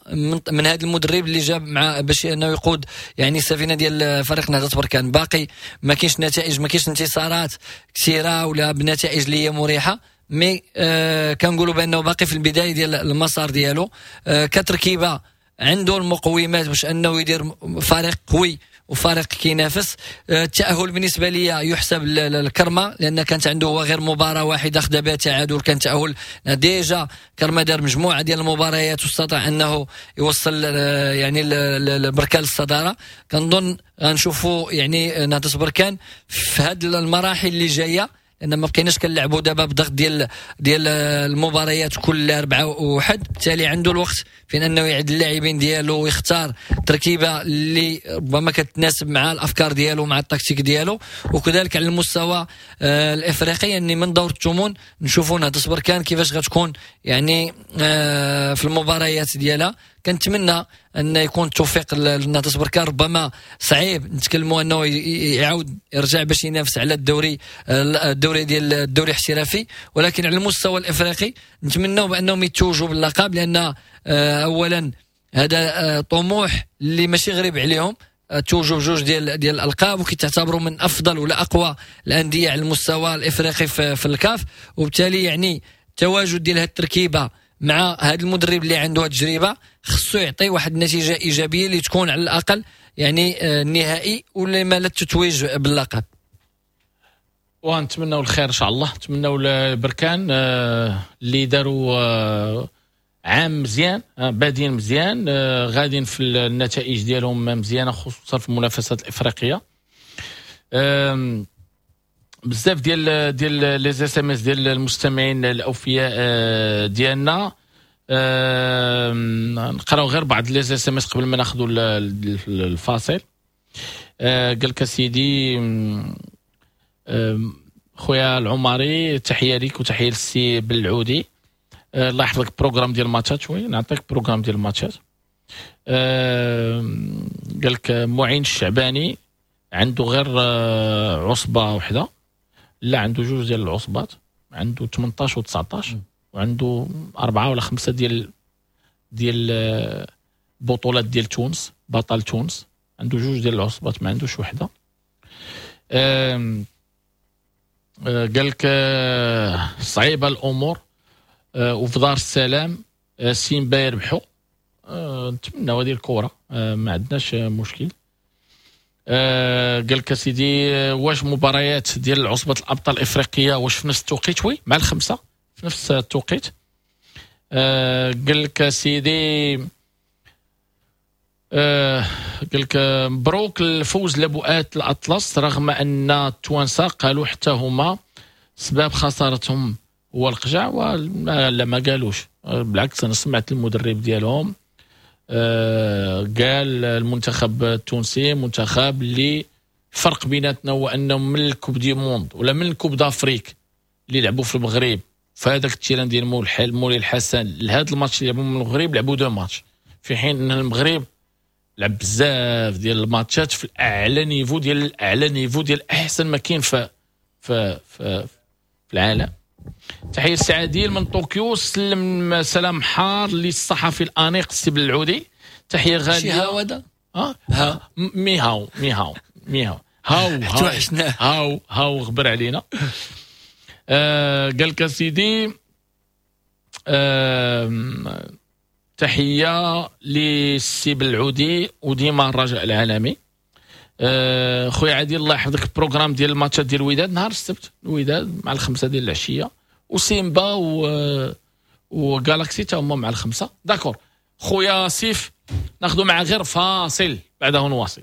من هذا المدرب اللي جاب مع باش انه يقود يعني السفينة ديال فريق نهضة بركان. باقي ما كاينش نتائج، ما كاينش انتصارات كثيرة ولا بنتائج اللي هي مريحه، mais كنقولوا بانه باقي في البداية ديال المسار ديالو. كتركيبه عنده المقومات باش انه يدير فريق قوي وفريق كينافس. التأهل بالنسبة لي يحسب الكرمة، لأن كانت عنده هو غير مباراة واحدة خدا بها تعادل، كان تأهل déjà. كرمة دار مجموعة ديال المباريات واستطاع أنه يوصل يعني البركان للصدارة. كنظن غنشوفوا يعني نهضة بركان في هذه المراحل اللي جاية، لأن ما بقيناش كنلعبوا دابا بضغط ديال المباريات كل 4 وحد. بالتالي عنده الوقت فين انه يعد اللاعبين ديالو ويختار تركيبه اللي ربما كتناسب مع الافكار ديالو مع التكتيك ديالو. وكذلك على المستوى الافريقي، يعني من دور الثمن نشوفوا نهضة بركان كيفاش غتكون يعني في المباريات ديالها. كنتمنى ان يكون التوفيق لنهضة بركان. ربما صعيب نتكلموا انه يعاود يرجع باش ينافس على الدوري ديال الدوري الاحترافي، ولكن على المستوى الافريقي نتمنوا بانهم يتوجوا باللقب، لان اولا هذا طموح اللي ماشي غريب عليهم، توجوا بجوج ديال الالقاب وكيتعتبروا من افضل ولا اقوى الاندية على المستوى الافريقي في الكاف. وبالتالي يعني التواجد ديال هذه التركيبة مع هذا المدرب اللي عنده تجربه خصو يعطي واحد النتيجة ايجابية اللي تكون على الاقل يعني النهائي ولا ما لا التتويج باللقب. ونتمنوا الخير ان شاء الله، نتمنوا البركان اللي داروا عام مزيان، بادين مزيان، غاديين في النتائج ديالهم مزيانه خصوصا في المنافسات الافريقية. بزاف ديال les SMS ديال المستمعين الاوفياء ديالنا، نقراو غير بعض les SMS قبل ما ناخذوا الفاصل. قال لك سيدي خويا العمري، تحية ليك وتحية للسي بالعودي، الله يحفظك. programme ديال الماتشات، oui نعطيك programme ديال الماتشات. قال لك معين الشعباني عنده غير عصبه وحده، لا عنده جوج ديال العصبات، عنده 18 و19 وعنده 4 ولا 5 ديال بطولات ديال تونس، بطل تونس عنده جوج ديال العصبات ما عندوش وحده. قال لك صعيبة الامور، وفي دار السلام سيمبا يربحوا، نتمناو هذه الكره، ما عندناش مشكل. قال لك سيدي واش مباريات ديال عصبة الابطال الافريقية واش في نفس التوقيت؟ oui مع 5 في نفس التوقيت. قال لك سيدي، قال لك مبروك الفوز لبؤات الاطلس، رغم ان التوانسة قالوا حتى هما سبب خسارتهم هو القجع، ولا ما قالوش، بالعكس انا سمعت المدرب ديالهم قال المنتخب التونسي منتخب اللي الفرق بيناتنا هو انه من ال coupe du monde ولا من ال coupe d'Afrique اللي لعبوا في المغرب في هذاك ال terrain ديال مولي الحسن لهذا الماتش اللي لعبوا من المغرب لعبوا deux matchs، في حين ان المغرب لعب بزاف ديال الماتشات في الاعلى niveau ديال الاعلى niveau ديال احسن ما كاين في في في, في العالم. تحية السعاديل من طوكيو، سلم سلام حار للصحفي الانيق السي بالعودي، تحية غالية. شي هاو هذا؟ ها ميهاو ميهاو ميهاو هاو هاو هاو غبر علينا. قال لك سيدي تحية للسي بالعودي وديما الرجاء العالمي. خويا عادل الله يحفظك، ال programme ديال الماتشات ديال الوداد نهار السبت، الوداد مع 5 ديال العشية، وسيمبا وغالاكسي تا هما مع 5. d'accord خويا سيف، ناخذ مع غير فاصل بعده نواصل.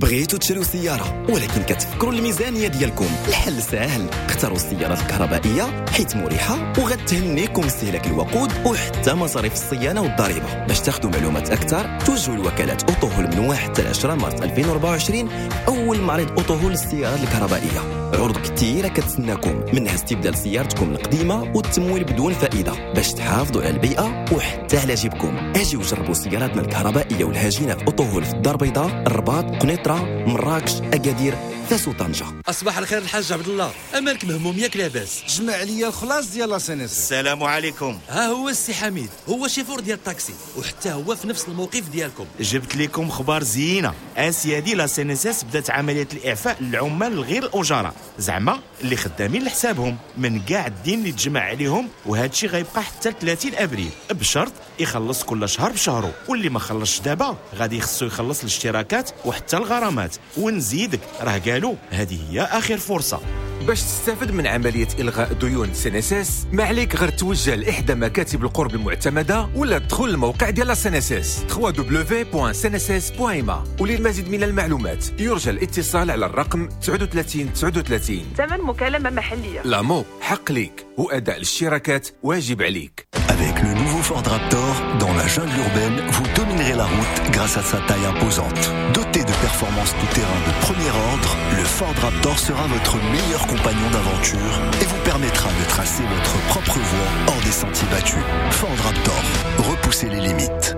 بغيتوا تشريو سيارة ولكن كتفكروا الميزانية ديالكم؟ الحل ساهل، اختاروا السيارات الكهربائية حيت مريحة وغتهنيكم استهلاك الوقود وحتى مصاريف الصيانة والضريبة. باش تاخذوا معلومات أكثر توجهوا لوكالات أوتوهول من 1 حتى 10 مارس 2024، أول معرض أوتوهول للسيارات الكهربائية. عروض كثيرة كتسناكم، منها استبدال سيارتكم القديمة والتمويل بدون فائدة باش تحافظوا على البيئة وحتى على جيبكم. اجيو جربوا سياراتنا الكهربائية والهجينة في أوتوهول في الدار البيضاء، الرباط، قنيطرة، مراكش، أكادير، فاس وطنجة. أصبح الخير الحاج عبد الله، أمالك مهموم ياك لاباس؟ جمع لي الخلاص ديال la CNSS. السلام عليكم. ها هو السي حميد، هو شيفور ديال الطاكسي وحتى هو في نفس الموقف ديالكم. جبت لكم خبار زينة اسيادي، la CNSS بدات عملية الإعفاء للعمال الغير الأجراء، زعما اللي خدامين لحسابهم من كاع الدين اللي تجمع عليهم، وهذا الشيء غيبقى حتى 30 ابريل بشرط يخلص كل شهر بشهره، واللي ما خلصش دابا غادي يخصو يخلص الاشتراكات وحتى الغرامات. ونزيدك راه قالوا هذه هي اخر فرصة. باش تستافد من عملية إلغاء ديون CNSS ما عليك غير توجه لإحدى مكاتب القرب المعتمدة ولا تدخل الموقع ديال CNSS www.cnss.ma. وللمزيد من المعلومات يرجى الاتصال على الرقم 39 39. ثمن مكالمة محلية. l'AMO حق ليك وأداء الاشتراكات واجب عليك. Avec le nouveau Ford Raptor, dans la jungle urbaine, vous dominerez la route grâce à sa taille imposante. Doté de performances tout-terrain de premier ordre, le Ford Raptor sera votre meilleur compagnon d'aventure et vous permettra de tracer votre propre voie hors des sentiers battus. Ford Raptor, repoussez les limites.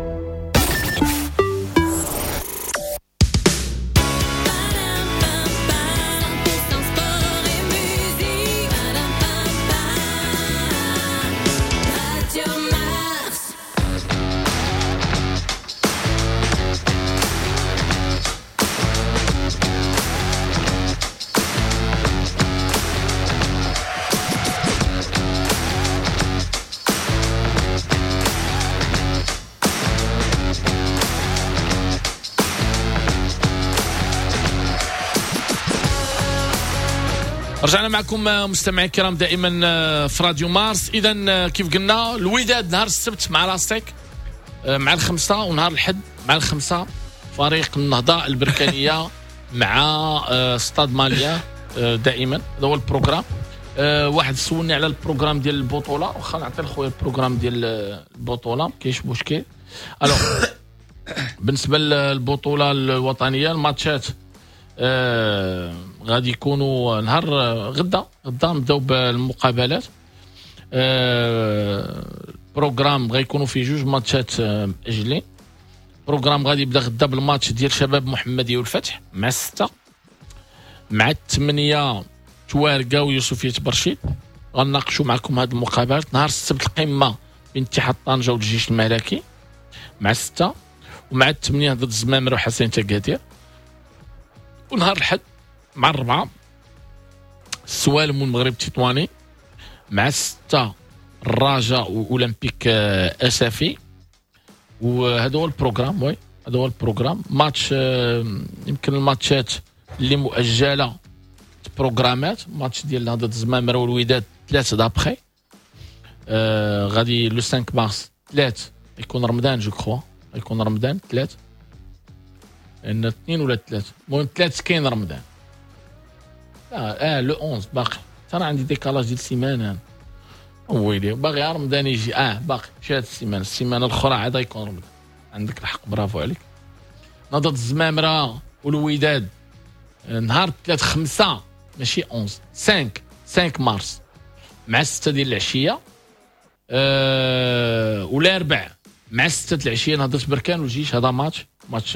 رجعنا معكم مستمعي الكرام دائما في راديو مارس. اذا كيف قلنا الوداد نهار السبت مع l'ASEC مع الخمسة، ونهار الحد مع الخمسة فريق النهضة البركانية مع Stade Malien. دائما هذا هو ال programme. واحد سولني على ال programme ديال البطولة، واخا نعطي لخويا ال programme ديال البطولة كاينش مشكل. alors بالنسبة للبطولة الوطنية الماتشات غادي يكونوا نهار غدا نبداو بالمقابلات. programme غيكونوا فيه جوج ماتشات مأجلين. programme غادي يبدا غدا بالماتش ديال شباب محمدية والفتح مع 6، مع 8 توارقه ويوسفيه برشيد. غنناقشوا معكم هاد المقابلات. نهار السبت القمه بين اتحاد طنجه والجيش الملكي مع 6، ومع 8 ضد الزمامرة وحسين تكادير. ونهار الحد مع 4 السوالم والمغرب التطواني، مع 6 الرجاء واولمبيك اسافي. وهذا هو ال programme. oui هذا هو ال programme. ماتش يمكن الماتشات اللي مؤجلة بروغرامات، ماتش ديال نهضة الزمامرة والوداد 3 d'après غادي le 5 مارس 3 يكون رمضان، je crois يكون رمضان 3، لان 2 ولا 3، المهم 3 كاين رمضان. le 11 باقي ترى عندي décalage ديال السيمانة، ويلي باغي رمضان يجي. باقي شي هاد السيمانة الاخرى عاد يكون رمضان. عندك الحق، برافو عليك. نهضة الزمامره والوداد نهار 3 5 ماشي 11 5 مارس مع 6 ديال العشية، ولا 4 مع 6 العشية نهضة بركان والجيش. هذا ماتش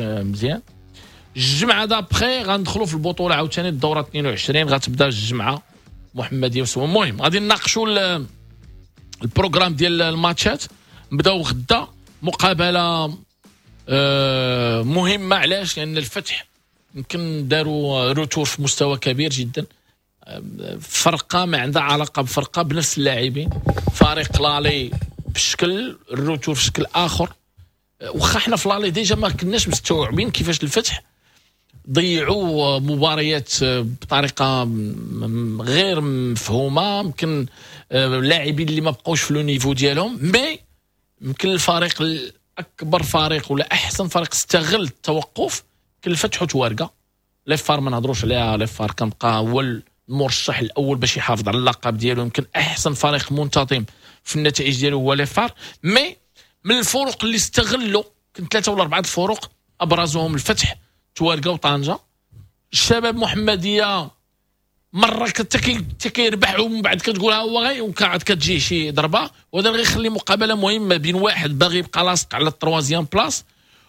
مزيان. الجمعة d'après غندخلوا في البطولة عاوتاني الدورة 22 غتبدا الجمعة محمديه وسوم. المهم غادي نناقشوا ال programme ديال الماتشات. نبداو غدا مقابله مهمة. علاش؟ لان الفتح يمكن داروا retour في مستوى كبير جدا، فرقه ما عندها علاقة بفرقة بنفس اللاعبين، فريق l'aller بشكل، ال retour في شكل اخر. واخا حنا في l'aller déjà ما كناش مستوعبين كيفاش الفتح ضيعوا مباريات بطريقة غير مفهومه، يمكن اللاعبين اللي ما بقوش في le niveau ديالهم. mais يمكن الفريق الاكبر فريق ولا احسن فريق استغل التوقف كان الفتح وتوارقه. les FAR ما نهضروش عليها، les FAR كنبقى هو المرشح الاول باش يحافظ على اللقب ديالو، يمكن احسن فريق منتظم في النتائج ديالو هو les FAR. mais من الفرق اللي استغلوا كان 3 ولا 4 الفرق، ابرزهم الفتح، توارقه وطنجه. الشباب محمديه مرة كيربح ومن بعد كتقول ها هو غي وكعاد كتجي شي ضربه، وهذا غيخلي مقابله مهمة بين واحد باغي يبقى لاصق على ال troisième place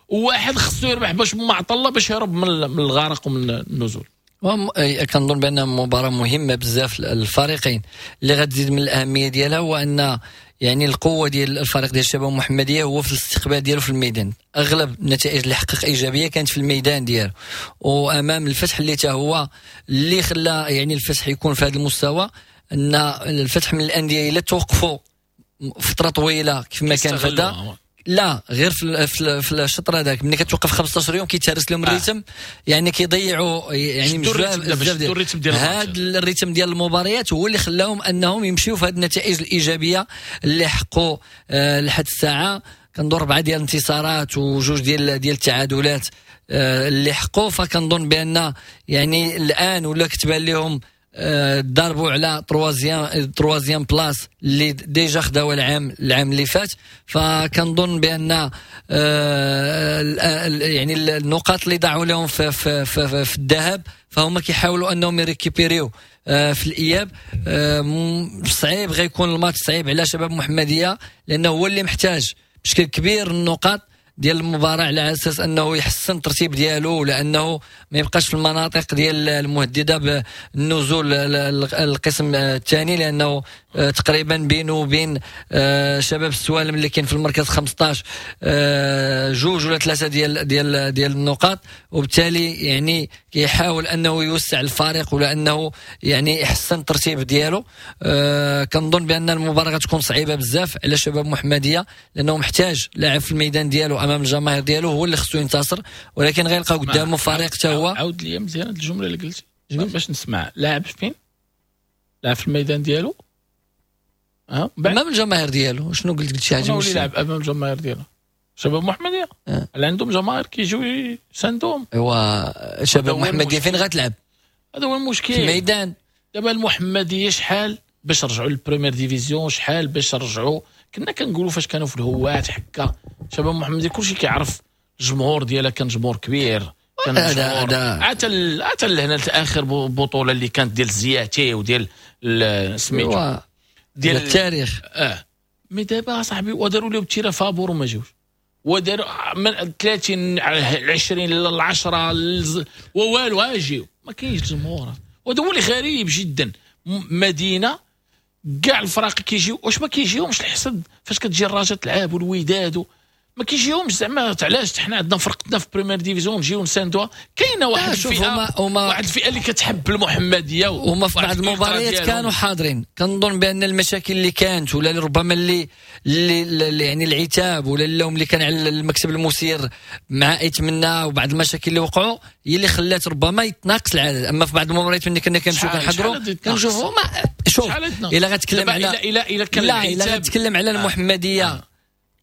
وواحد خصو يربح باش ما عطى الله باش يهرب من الغرق ومن النزول. كنظن بان مباراة مهمة بزاف الفريقين. اللي غتزيد من الاهمية ديالها هو ان يعني القوة ديال الفريق ديال الشباب المحمدية هو في الاستقبال ديالو في الميدان، اغلب النتائج اللي حقق ايجابية كانت في الميدان ديالو، وامام الفتح اللي تا هو اللي خلى يعني الفتح يكون في هذا المستوى، ان الفتح من الاندية الا توقفوا فترة طويلة كيف ما كان فدا، لا غير في الشطر هذاك ملي كتوقف 15 يوم كيتهرس لهم ال rythme، يعني كيضيعوا يعني بزاف ديال هذا ال rythme ديال المباريات هو اللي خلاهم انهم يمشيو في هذه النتائج الايجابية اللي حققوا لحد الساعة. كندور 4 ديال الانتصارات وجوج ديال التعادلات اللي حققوا، فكنظن بان يعني الان ولا كتبان لهم ضربوا على troisième place اللي déjà خداو العام اللي فات. فكنظن بان يعني النقاط اللي ضاعوا لهم في, في, في, في الذهاب فهم كيحاولوا انهم يريكيبيريو في الاياب. صعيب غيكون الماتش صعيب على شباب محمديه لانه هو اللي محتاج بشكل كبير النقاط ديال المباراة على اساس انه يحسن الترتيب ديالو، لانه ما يبقاش في المناطق ديال المهدده بالنزول القسم الثاني، لانه تقريبا بينه وبين شباب السوالم اللي كاين في المركز 15 2 ولا 3 ديال ديال ديال النقاط، وبالتالي يعني كيحاول انه يوسع الفريق ولا انه يعني يحسن الترتيب ديالو. كنظن بان المباراة غتكون صعيبة بزاف على شباب محمديه لانه محتاج لاعب في الميدان ديالو امام الجماهير ديالو هو اللي خصو ينتصر، ولكن غيلقاو قدامه فريق حتى هو. عاود لي مزيان هاد الجملة اللي قلتي باش نسمع. لاعب فين؟ لاعب في الميدان ديالو امام الجماهير ديالو. شنو قلت شي حاجة؟ ماشي لاعب امام الجماهير ديالو شباب محمديه اللي عندهم جماهير كيجيو يساندوهم. ايوا شباب محمديه فين غتلعب؟ هذا هو المشكل في الميدان. دابا المحمدية شحال باش رجعوا لل première division، شحال باش رجعوا، كنا كنقولوا فاش كانوا في الهوات حكا شباب محمديه كلشي كيعرف الجمهور ديالها، كان جمهور كبير، كان جمهور حتى لهنا اخر بطوله اللي كانت ديال الزياتي وديال سميتو ديال التاريخ. mais دابا صاحبي وداروا لهم terrain فابور وما جاوش، وداروا من 30 20 ل 10 ووالو اجيو، ما كاينش الجمهور. وهذا هو اللي غريب جدا، مدينة كاع الفرق كيجيو، واش ما كيجيهمش الحسد فاش كتجي الرجاء تلعب والوداد ما كيجيهمش زعما علاش حنا عندنا فرقتنا في première division نجيو نساندوها. كاينه واحد الفئة واحد الفئة اللي كتحب المحمدية، وهما في بعض المباريات كانوا حاضرين. كنظن بان المشاكل اللي كانت ولا ربما اللي يعني العتاب ولا اللوم اللي كان على المكتب المسير مع اتمنى وبعض المشاكل اللي وقعوا هي اللي خلات ربما يتناقص العدد. اما في بعض المباريات ملي كنا كنمشيو كنحضروا كنشوفوا ما شوف الا غتكلم على الا غتكلم على المحمدية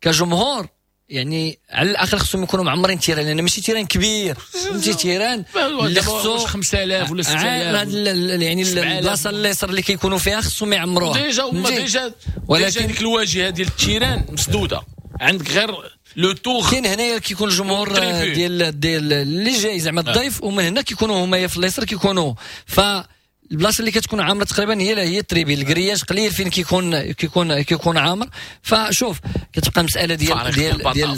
كجمهور يعني على الاقل خصهم يكونوا معمرين terrain، لان ماشي terrain كبير، فهمتي terrain اللي خصو 5000 ولا 6000 يعني البلاصة اليسار اللي كيكونوا فيها خصهم يعمروها déjà هما déjà. ولكن ديك الواجهة ديال ال terrain مسدودة، عندك غير le tour. كاين هنايا كيكون الجمهور ديال ديال اللي جاي زعما الضيف، ومن هنا كيكونوا هما في اليسار كيكونوا، ف البلاصة اللي كتكون عامرة تقريبا هي ال tribune، ال grillage قليل فين كيكون عامر. فشوف كتبقى مسالة ديال ديال ديال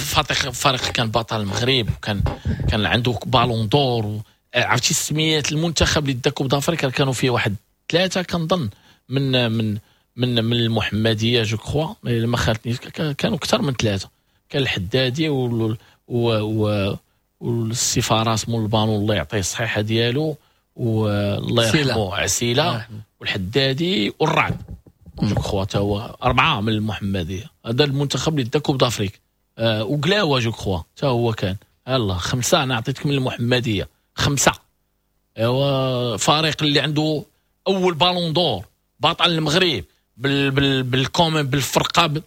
فريق كان بطل المغرب وكان كان عنده ballon d'or، عرفتي السميات المنتخب اللي دا coupe d'Afrique كانوا فيه واحد 3 كنظن من من من من المحمدية je crois، ما خالتنيش كانوا اكثر من 3، كان الحدادي والسفاره مول البانو الله يعطيه الصحيحة ديالو والله يرحمه عسيله والحدادي والرعد je crois تا هو 4 من المحمدية. هذا المنتخب اللي دا coupe d'Afrique وقلاوه je crois تا هو كان يلا 5. انا عطيتك من المحمدية 5. هو فريق اللي عنده اول ballon d'or، بطل المغرب بال بال بالكومن بالفرقة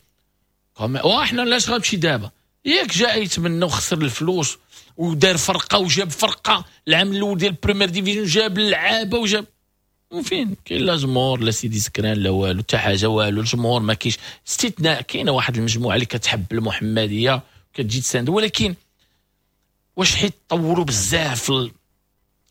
واحنا علاش غنمشي دابا؟ ياك جا يتمنى وخسر الفلوس ودار فرقه وجاب فرقه العام الاول ديال première division، جاب اللعابه وجاب، وفين كاين لا جمهور لا سيدي سكران لا والو، حتى حاجة والو. الجمهور ما كاينش، استثناء كاينه واحد المجموعة اللي كتحب المحمدية كتجي تساند، ولكن واش حيت طوروا بزاف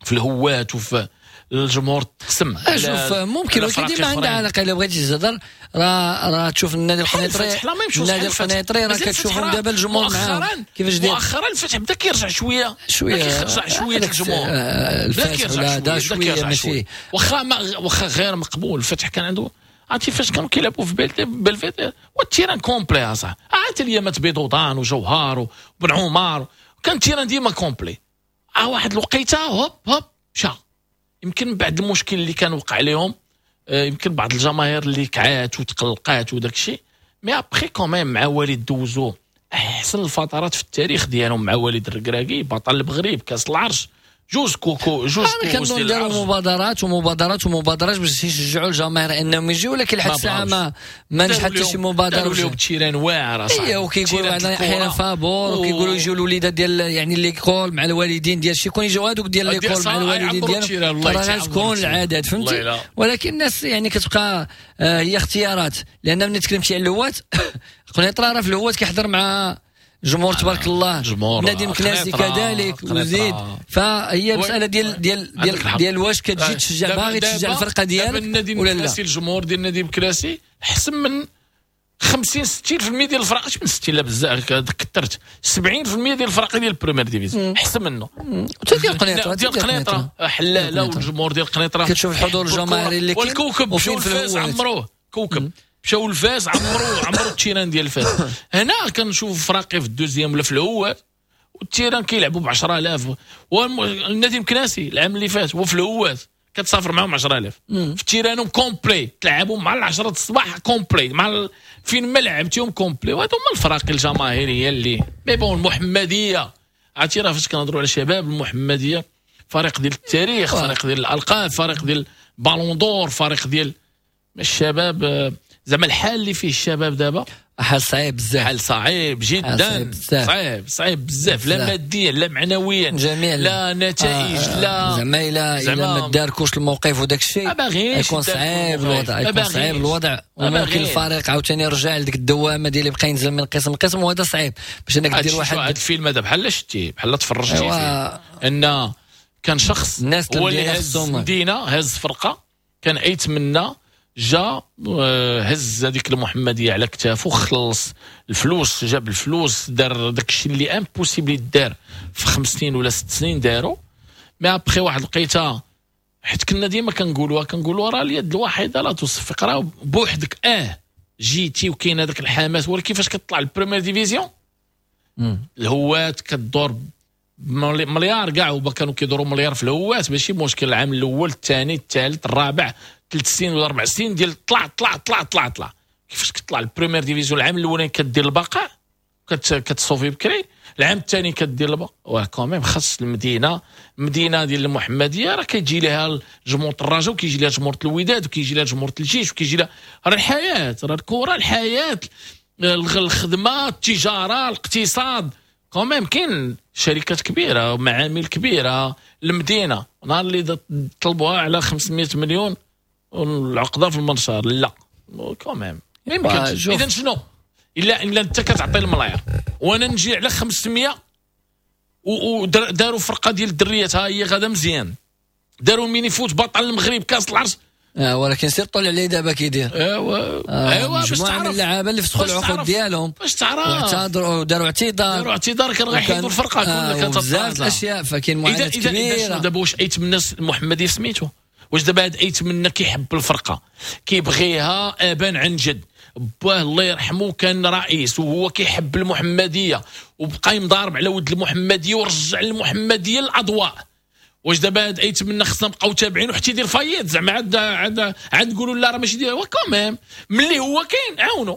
في الهوات وفي الجمهور تقسم. شوف ممكن، ولكن ديما عندها علاقة. الا بغيتي تهضر راه تشوف النادي القنيطري، النادي القنيطري راه كتشوفهم دابا الجمهور معاهم كيفاش داير. مؤخرا الفتح بدا كيرجع شوية شوية، كيرجع شوية الجمهور. الفتح ولا دا شوية ماشي واخا غير مقبول. الفتح كان عنده عرفتي فاش كانوا كيلعبوا في بلفيت وال terrain complet اصاحبي، عاد اليامات بيضوضان وجوهر وبن عمر، كان ال terrain ديما complet. واحد الوقيته هوب هوب مشى. يمكن بعد المشكل اللي كان وقع لهم، يمكن بعض الجماهير اللي كعات وتقلقات وداك الشيء، mais après quand même مع وليد دوزو احسن الفترات في التاريخ ديالهم مع وليد الركراكي، بطل المغرب، كاس العرش، جوج كوكو جوج كوكو. كانوا داروا مبادرات ومبادرات ومبادرات باش يشجعوا الجماهير انهم يجيو، ولكن لحد الساعة ما نجح حتى شي مبادرة. داروا لهم terrain واعر اصاحبي. ايوا، وكيقولوا عندنا احيانا فابور، وكيقولوا يجيو الوليدات ديال يعني l'école مع الوالدين ديال شي، يكون يجيو هذوك ديال l'école مع الوالدين ديالهم، راه غتكون العدد، فهمتي. ولكن الناس يعني كتبقى هي اختيارات، لان ملي تكلمتي على الهوات قنيطره راه في الهوات كيحضر مع جمهور تبارك الله، نادي مكناسي كذلك وزيد. فهي مسالة ديال ديال ديال ديال واش كتجي تشجع، باغي تشجع الفرقة ديالك ولا لا. الجمهور ديال النادي المكناسي احسن من 50 60% ديال الفرق، من 60 لا بزاف كثرت، 70% ديال الفرق ديال ال première division احسن منه. حتى ديال قنيطره، ديال قنيطره حلاله، والجمهور ديال قنيطره كتشوف الحضور الجماهيري اللي كاين، والكوكب مشاو الفاس عمروه، كوكب مشاو الفاس عمرو ال terrain ديال الفاس. هنا كنشوف فراقي في ال deuxième ولا في الهوات، وال terrain كيلعبوا ب 10000، والنادي المكناسي العام اللي فات وفي الهوات كتسافر معاهم 10000 في terrain هم complet، تلعبوا مع 10 الصباح complet، مع فين ما لعبتيهم complet. وهادو هما الفراقي الجماهيرية اللي mais bon. المحمدية عرفتي راه فاش كنهضروا على شباب المحمدية، فريق ديال التاريخ، فريق ديال الالقاب، فريق ديال ballon d'or، فريق ديال الشباب. زعما الحال اللي فيه الشباب دابا حال صعيب بزاف، حال صعيب جدا، صعيب صعيب بزاف، لا ماديا لا معنويا، جميع لا نتائج، لا زعما الا ما داركوش الموقف وداك الشيء يكون صعيب الوضع، يكون صعيب الوضع، وممكن الفريق عاوتاني يرجع لديك الدوامة ديال اللي بقى ينزل من قسم لقسم، وهذا صعيب باش انك دير واحد. هذا الفيلم هذا بحال شتي، بحال تفرجتي فيه، ان كان شخص هو اللي هز مدينة، هز فرقه، كان ايتمنى جا هز هذيك المحمدية على كتافو، خلص الفلوس، جاب الفلوس، دار داك الشيء اللي impossible دار في 5 سنين ولا 6 سنين دارو. mais après واحد الوقيته، حيت كنا ديما كنقولوا راه اليد الواحدة لا تصفق، راه بوحدك جيتي وكاين هذاك الحماس، ولكن كيفاش كتطلع ال première division الهوات كدور مليار كاع، وما كانوا كيدوروا مليار في الهوات ماشي مشكل. العام الاول الثاني الثالث الرابع، 3 سنين ولا 4 سنين ديال طلع طلع طلع طلع طلع. كيفاش كتطلع ال première division العام الاولاني كدير البقاء، كتصوفي بكري، العام الثاني كدير البقاء، و quand même خاص المدينة، المدينة ديال المحمدية راه كيجي لها جمهور الرجاء، وكيجي لها جمهور الوداد، وكيجي لها جمهور الجيش، وكيجي لها راه الحياة، راه الكره، الحياة، الخدمة، التجارة، الاقتصاد. quand même كاين شركات كبيرة ومعامل كبيرة المدينة، نهار اللي طلبوها على 500 مليون والعقده في المنشار، لا quand même ما يمكنش. اذا شنو الا انت كتعطي الملاير وانا نجي على 500 وداروا فرقه ديال الدريات، ها هي غادا مزيان، داروا mini-foot بطل المغرب كاس العرش، ولكن سير طلع عليه دابا كيدير. ايوا باش تعرف اللعابه اللي فسخوا العقود ديالهم، باش تعرف واعتذروا، داروا اعتذار، داروا اعتذار، كانوا غيحيدوا الفرقة كلها، كانت بزاف الاشياء، فكاين معاناة كبيرة. دابا واش ايت من الناس المحمدية سميتو، واش دابا هاد ايت منا كيحب الفرقة، كيبغيها ابان عن جد، باه الله يرحمه كان رئيس وهو كيحب المحمدية وبقى يمضارب على ود المحمدية ورجع المحمدية للاضواء. واش دابا هاد ايت منا خصنا نبقاو تابعين وحتى يدير faillite زعما عاد عاد عاد نقولوا لا راه ماشي ديال quand même ملي هو كاين عاونوا.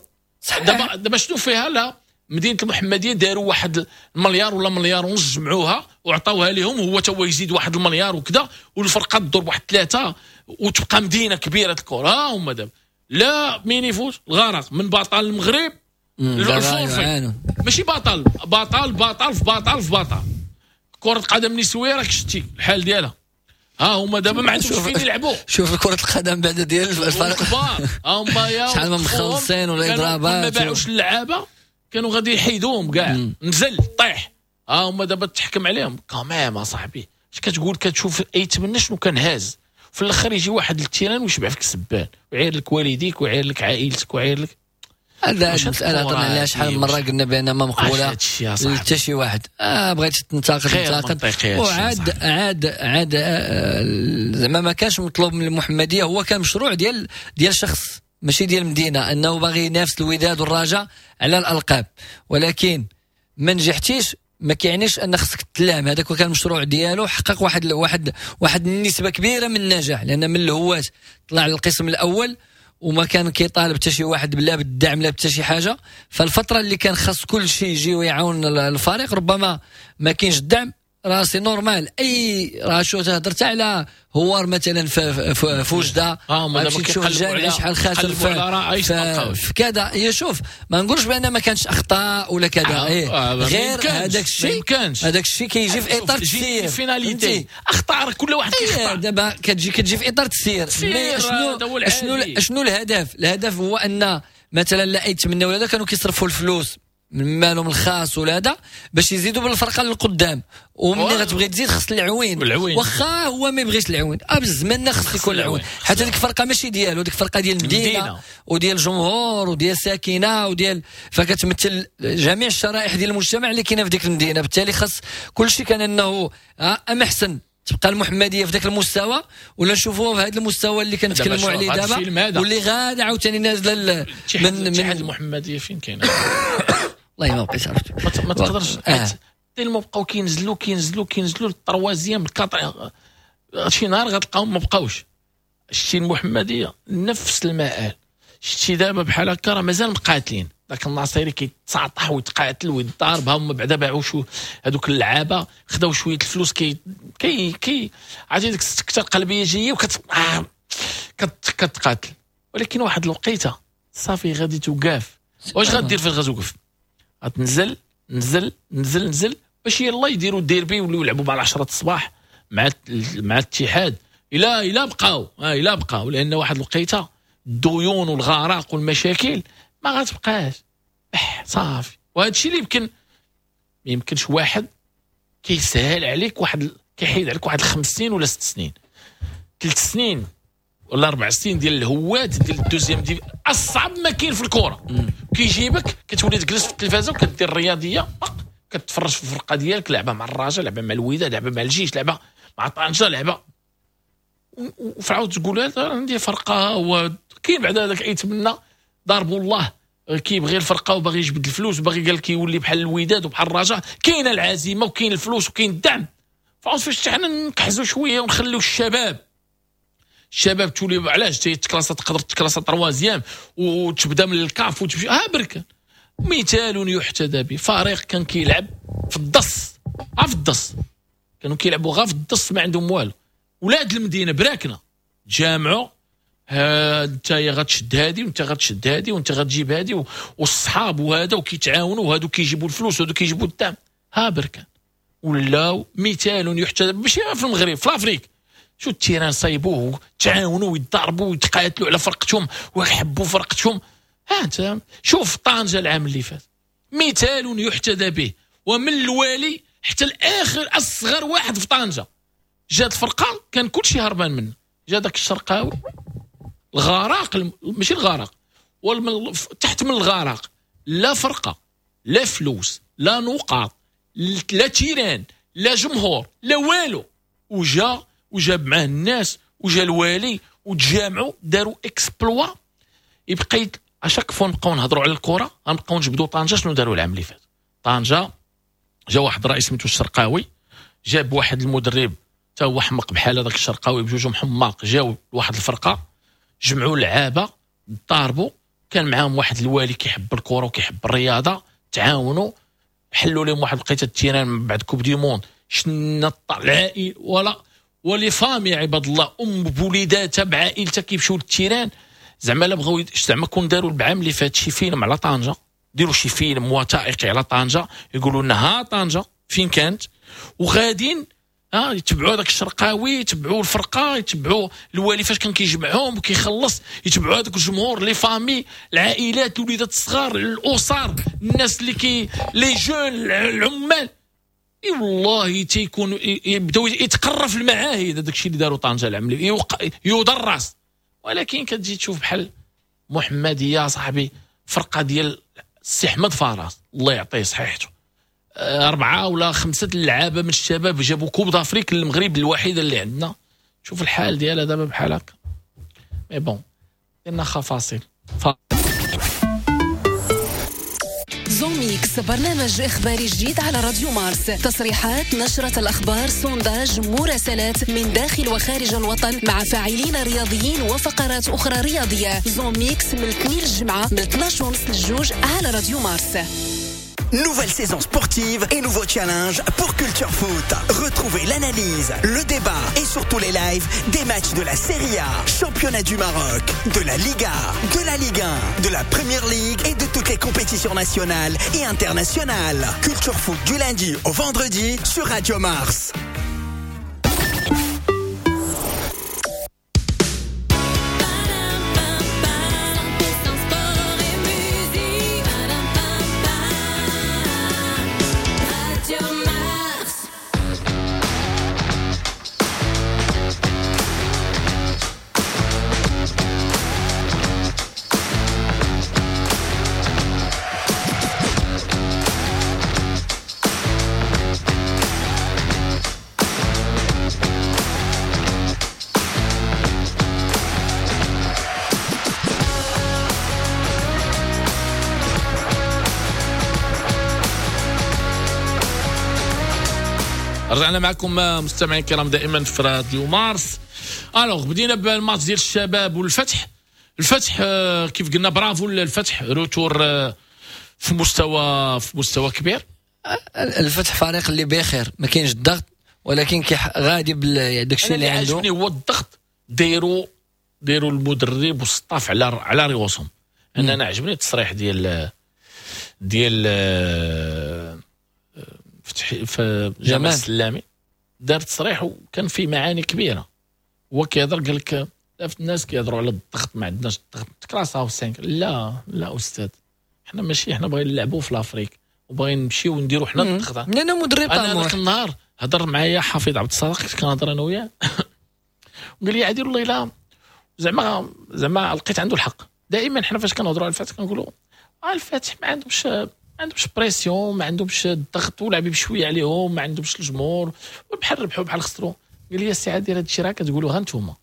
دابا شنو فيها؟ لا مدينة المحمدية داروا واحد المليار ولا مليار ونص جمعوها وعطاوها لهم، وهو تا هو يزيد واحد المليار وكذا، والفرقة تدور بواحد 3 وتبقى مدينة كبيرة الكره. هما دابا لا mini-foot الغرق من بطل المغرب ال forfait. ماشي بطل بطل بطل في بطل في بطل. كره القدم النسوية راك شتي الحال ديالها، ها هما دابا ما عندهمش فين يلعبوا. شوف كره القدم بعد ديال الفريق الكبار، ها هما يا شحال ما مخلصين ولا اضرابات، ما باعوش اللعابه كانوا غادي يحيدوهم كاع، نزل طيح، ها هما دابا تحكم عليهم quand même اصاحبي. اش كتقول؟ كتشوف ايتمنى شنو كان هاز، في الاخر يجي واحد لل terrain ويشبع فيك سبان ويعير لك والديك ويعير لك عائلتك ويعير لك. هذا المسألة هضرنا عليها شحال من مرة، قلنا بأن ما مقبولة حتى شي واحد. بغيت تنتقد تنتقد، وعاد عاد عاد زعما ما كانش مطلوب من المحمدية، هو كان مشروع ديال شخص ماشي ديال المدينة، أنه باغي ينافس الوداد والرجاء على الألقاب، ولكن ما نجحتيش ما كيعنيش ان خصك تلام. هذاك كان المشروع ديالو، حقق واحد واحد واحد النسبة كبيرة من النجاح، لان من الهواة طلع للقسم الاول وما كان كيطالب حتى شي واحد لا بالدعم لا حتى شي حاجة. فالفتره اللي كان خاص كل شيء يجي ويعاون الفريق ربما ما كاينش الدعم، راه c'est normal. اي راه شو تهضرت على هوار مثلا في وجده، غتمشي تشوف الجامعة شحال خاسر في كذا. هي شوف ما نقولش بان ما كانش اخطاء ولا كذا، إيه غير هذاك الشيء، هذاك الشيء كيجي في اطار التسيير finalité. اخطاء كل واحد كيخطا، دابا كتجي في اطار التسيير. شنو شنو شنو الهدف؟ الهدف هو ان مثلا لا يتمنوا ولا كانوا كيصرفوا الفلوس من مالهم الخاص ولا هذا باش يزيدوا بالفرقة للقدام، وملي غتبغي تزيد خص العوين، واخا هو ما يبغيش العوين بالزمان خص يكون العوين، حتى ديك الفرقة ماشي ديالو، ديك الفرقة ديال المدينة وديال الجمهور وديال الساكنة وديال، فكتمثل جميع الشرائح ديال المجتمع اللي كاينه في ديك المدينة. بالتالي خص كل شيء كان انه اما احسن تبقى المحمدية في ذاك المستوى ولا نشوفوها في هذا المستوى اللي كنتكلموا عليه دابا واللي غادا عاوتاني نازله من المحمدية. فين كاينه؟ والله ما بقيت عرفت، ما تقدرش tellement بقاو كينزلوا كينزلوا كينزلوا لل troisième ال quatrième، شي نهار غتلقاهم ما بقاوش. شتي المحمدية نفس المآل، شتي دابا بحال هكا راه مازال مقاتلين، داك الناصيري كيتساطح ويتقاتل ويتضارب، هما بعدا باعوا شو هذوك اللعابه، خداو شوية الفلوس كي كي كي عرفتي ديك السكتة القلبية جاية وكت كتقاتل. ولكن واحد الوقيته صافي غادي توقف. واش غدير فاش غتوقف؟ غتنزل نزل نزل نزل باش يلا يديروا الديربي ويوليو يلعبوا مع 10 الصباح مع الاتحاد الى بقاو، الى بقاو، لان واحد الوقيته الديون والغرق والمشاكل ما غتبقاش صافي. وهذا الشيء اللي يمكن ما يمكنش واحد كيسهل عليك، واحد كيحيد عليك واحد 5 سنين ولا 6 سنين، 3 سنين ولا 4 سنين ديال الهوات ديال ال deuxième div اصعب ما كاين في الكره. كيجيبك كتولي تجلس في التلفازه وكدير الرياضية، كتفرج في الفرقة ديالك، لعبه مع الرجاء، لعبه مع الوداد، لعبه مع الجيش، لعبه مع طنجه، لعبه، وفعاود تقول عندي فرقه. وكاين بعد هذاك يتمنى ضربوا الله كيبغي الفرقة وباغي يجبد الفلوس وباغي قال كيولي بحال الوداد وبحال الرجاء، كاينه العزيمة وكاين الفلوس وكاين الدعم. فعاود فاش حنا نكحزوا شوية ونخليو الشباب تولي علاش تيتكلاسا، تقدر تكلاسا troisième وتبدا من الكاف وتمشي ها برك. مثال يحتذى به، فريق كان كيلعب في الدص، في الدص كانوا كيلعبوا غا في الدص، ما عندهم والو. ولاد المدينة براكنه تجامعوا، انت يا غتشد هادي وانت غتشد هادي وانت غتجيب هادي والصحاب وهذا، وكيتعاونوا وهادو كيجيبوا الفلوس وهادو كيجيبوا الدعم. ها بركان ولاو مثال يحتذى ماشي في المغرب، في l'Afrique. شو ال terrain صايبوه، تعاونوا ويتضاربوا ويتقاتلوا على فرقتهم ويحبوا فرقتهم. ها انت شوف طنجه العام اللي فات مثال يحتذى به، ومن الوالي حتى الاخر اصغر واحد في طنجه جات الفرقة كان كلشي هربان منه. جا داك الشرقاوي الغراق، ماشي الغرق، تحت من الغرق، لا فرقه لا فلوس لا نقاط لا terrain لا جمهور لا والو، وجا وجاب معاه الناس وجا الوالي وتجامعوا داروا exploit. يبقى à chaque fois نبقاو نهضروا على الكره غنبقاو نجبدوا طنجه شنو داروا العام اللي فات. طنجه جا واحد الرئيس سميتو الشرقاوي، جاب واحد المدرب حتى هو حمق بحال هذاك الشرقاوي، بجوجهم حماق، جاو لواحد الفرقة جمعوا لعابه ضاربوا، كان معاهم واحد الوالي كيحب الكره وكيحب الرياضة، تعاونوا حلوا لهم واحد الوقيته ال terrain من بعد coupe du monde، شنا العائل ولا و les familles عباد الله ام بوليداتها بعائلتها كيمشيو لل terrain. زعما لا بغاو زعما كون داروا العام اللي فات شي فيلم على طنجه ديروا شي فيلم وثائقي على طنجه، يقولوا لنا ها طنجه فين كانت، وغاديين يتبعوا هذاك الشرقاوي، يتبعوا الفرقة، يتبعوا الوالي فاش كان كيجمعهم وكيخلص، يتبعوا هذاك الجمهور، les familles، العائلات، الوليدات الصغار، الاسر، الناس اللي كي les jeunes، العمال. اي والله تيكون يبداو يتقرا في المعاهد هذاك الشيء اللي داروا طنجه العام يدرس. ولكن كتجي تشوف بحال محمديه صاحبي، فرقه ديال السي احمد فراس الله يعطيه صحيحته، 4 ولا 5 اللعابه من الشباب جابوا Coupe d'Afrique للمغرب الوحيدة اللي عندنا. شوف الحال ديالها دابا بحال هكا. mais bon درنا فاصل. Zone Mix، برنامج إخباري جديد على راديو مارس، تصريحات، نشرة الأخبار، sondage، مراسلات من داخل وخارج الوطن مع فاعلين رياضيين وفقرات أخرى رياضية. Zone Mix من الاثنين للجمعة من 12:30 للجوج على راديو مارس. Nouvelle saison sportive et nouveau challenge pour Culture Foot. Retrouvez l'analyse, le débat et surtout les lives des matchs de la Serie A, championnat du Maroc, de la Liga, de la Ligue 1, de la Premier League et de toutes les compétitions nationales et internationales. Culture Foot du lundi au vendredi sur Radio Mars. رجعنا معكم مستمعين الكرام دائما في راديو مارس. alors بدينا بالماتش ديال الشباب والفتح. الفتح كيف قلنا برافو للفتح، retour في مستوى كبير. الفتح فريق اللي بخير، ما كاينش الضغط، ولكن غادي داكشي اللي عنده. عجبني هو الضغط دايروا المدرب وال staff على ريوسهم. انا عجبني التصريح ديال فتحي في جمال السلامي، دار تصريح وكان فيه معاني كبيرة. هو كيهضر قال لك الناس كيهضروا على الضغط، ما عندناش الضغط، تكراساو 5. لا لا استاذ، حنا ماشي، حنا باغيين نلعبوا في l'Afrique وباغيين نمشيو ونديروا حنا الضغط. انا مدرب طموح. انا ذاك النهار هضر معايا حفيظ عبد الصادق، كنت كنهضر انا وياه وقال لي عادل والله الا زعما لقيت عنده الحق. دائما حنا فاش كنهضروا على الفتح كنقولوا الفتح ما عندهمش pression، ما عندهمش الضغط، ولعبي بشوية عليهم، ما عندهمش الجمهور، بحال ربحوا بحال خسروا. قال لي السي عادل هذا الشيء راه كتقولوها انتوما،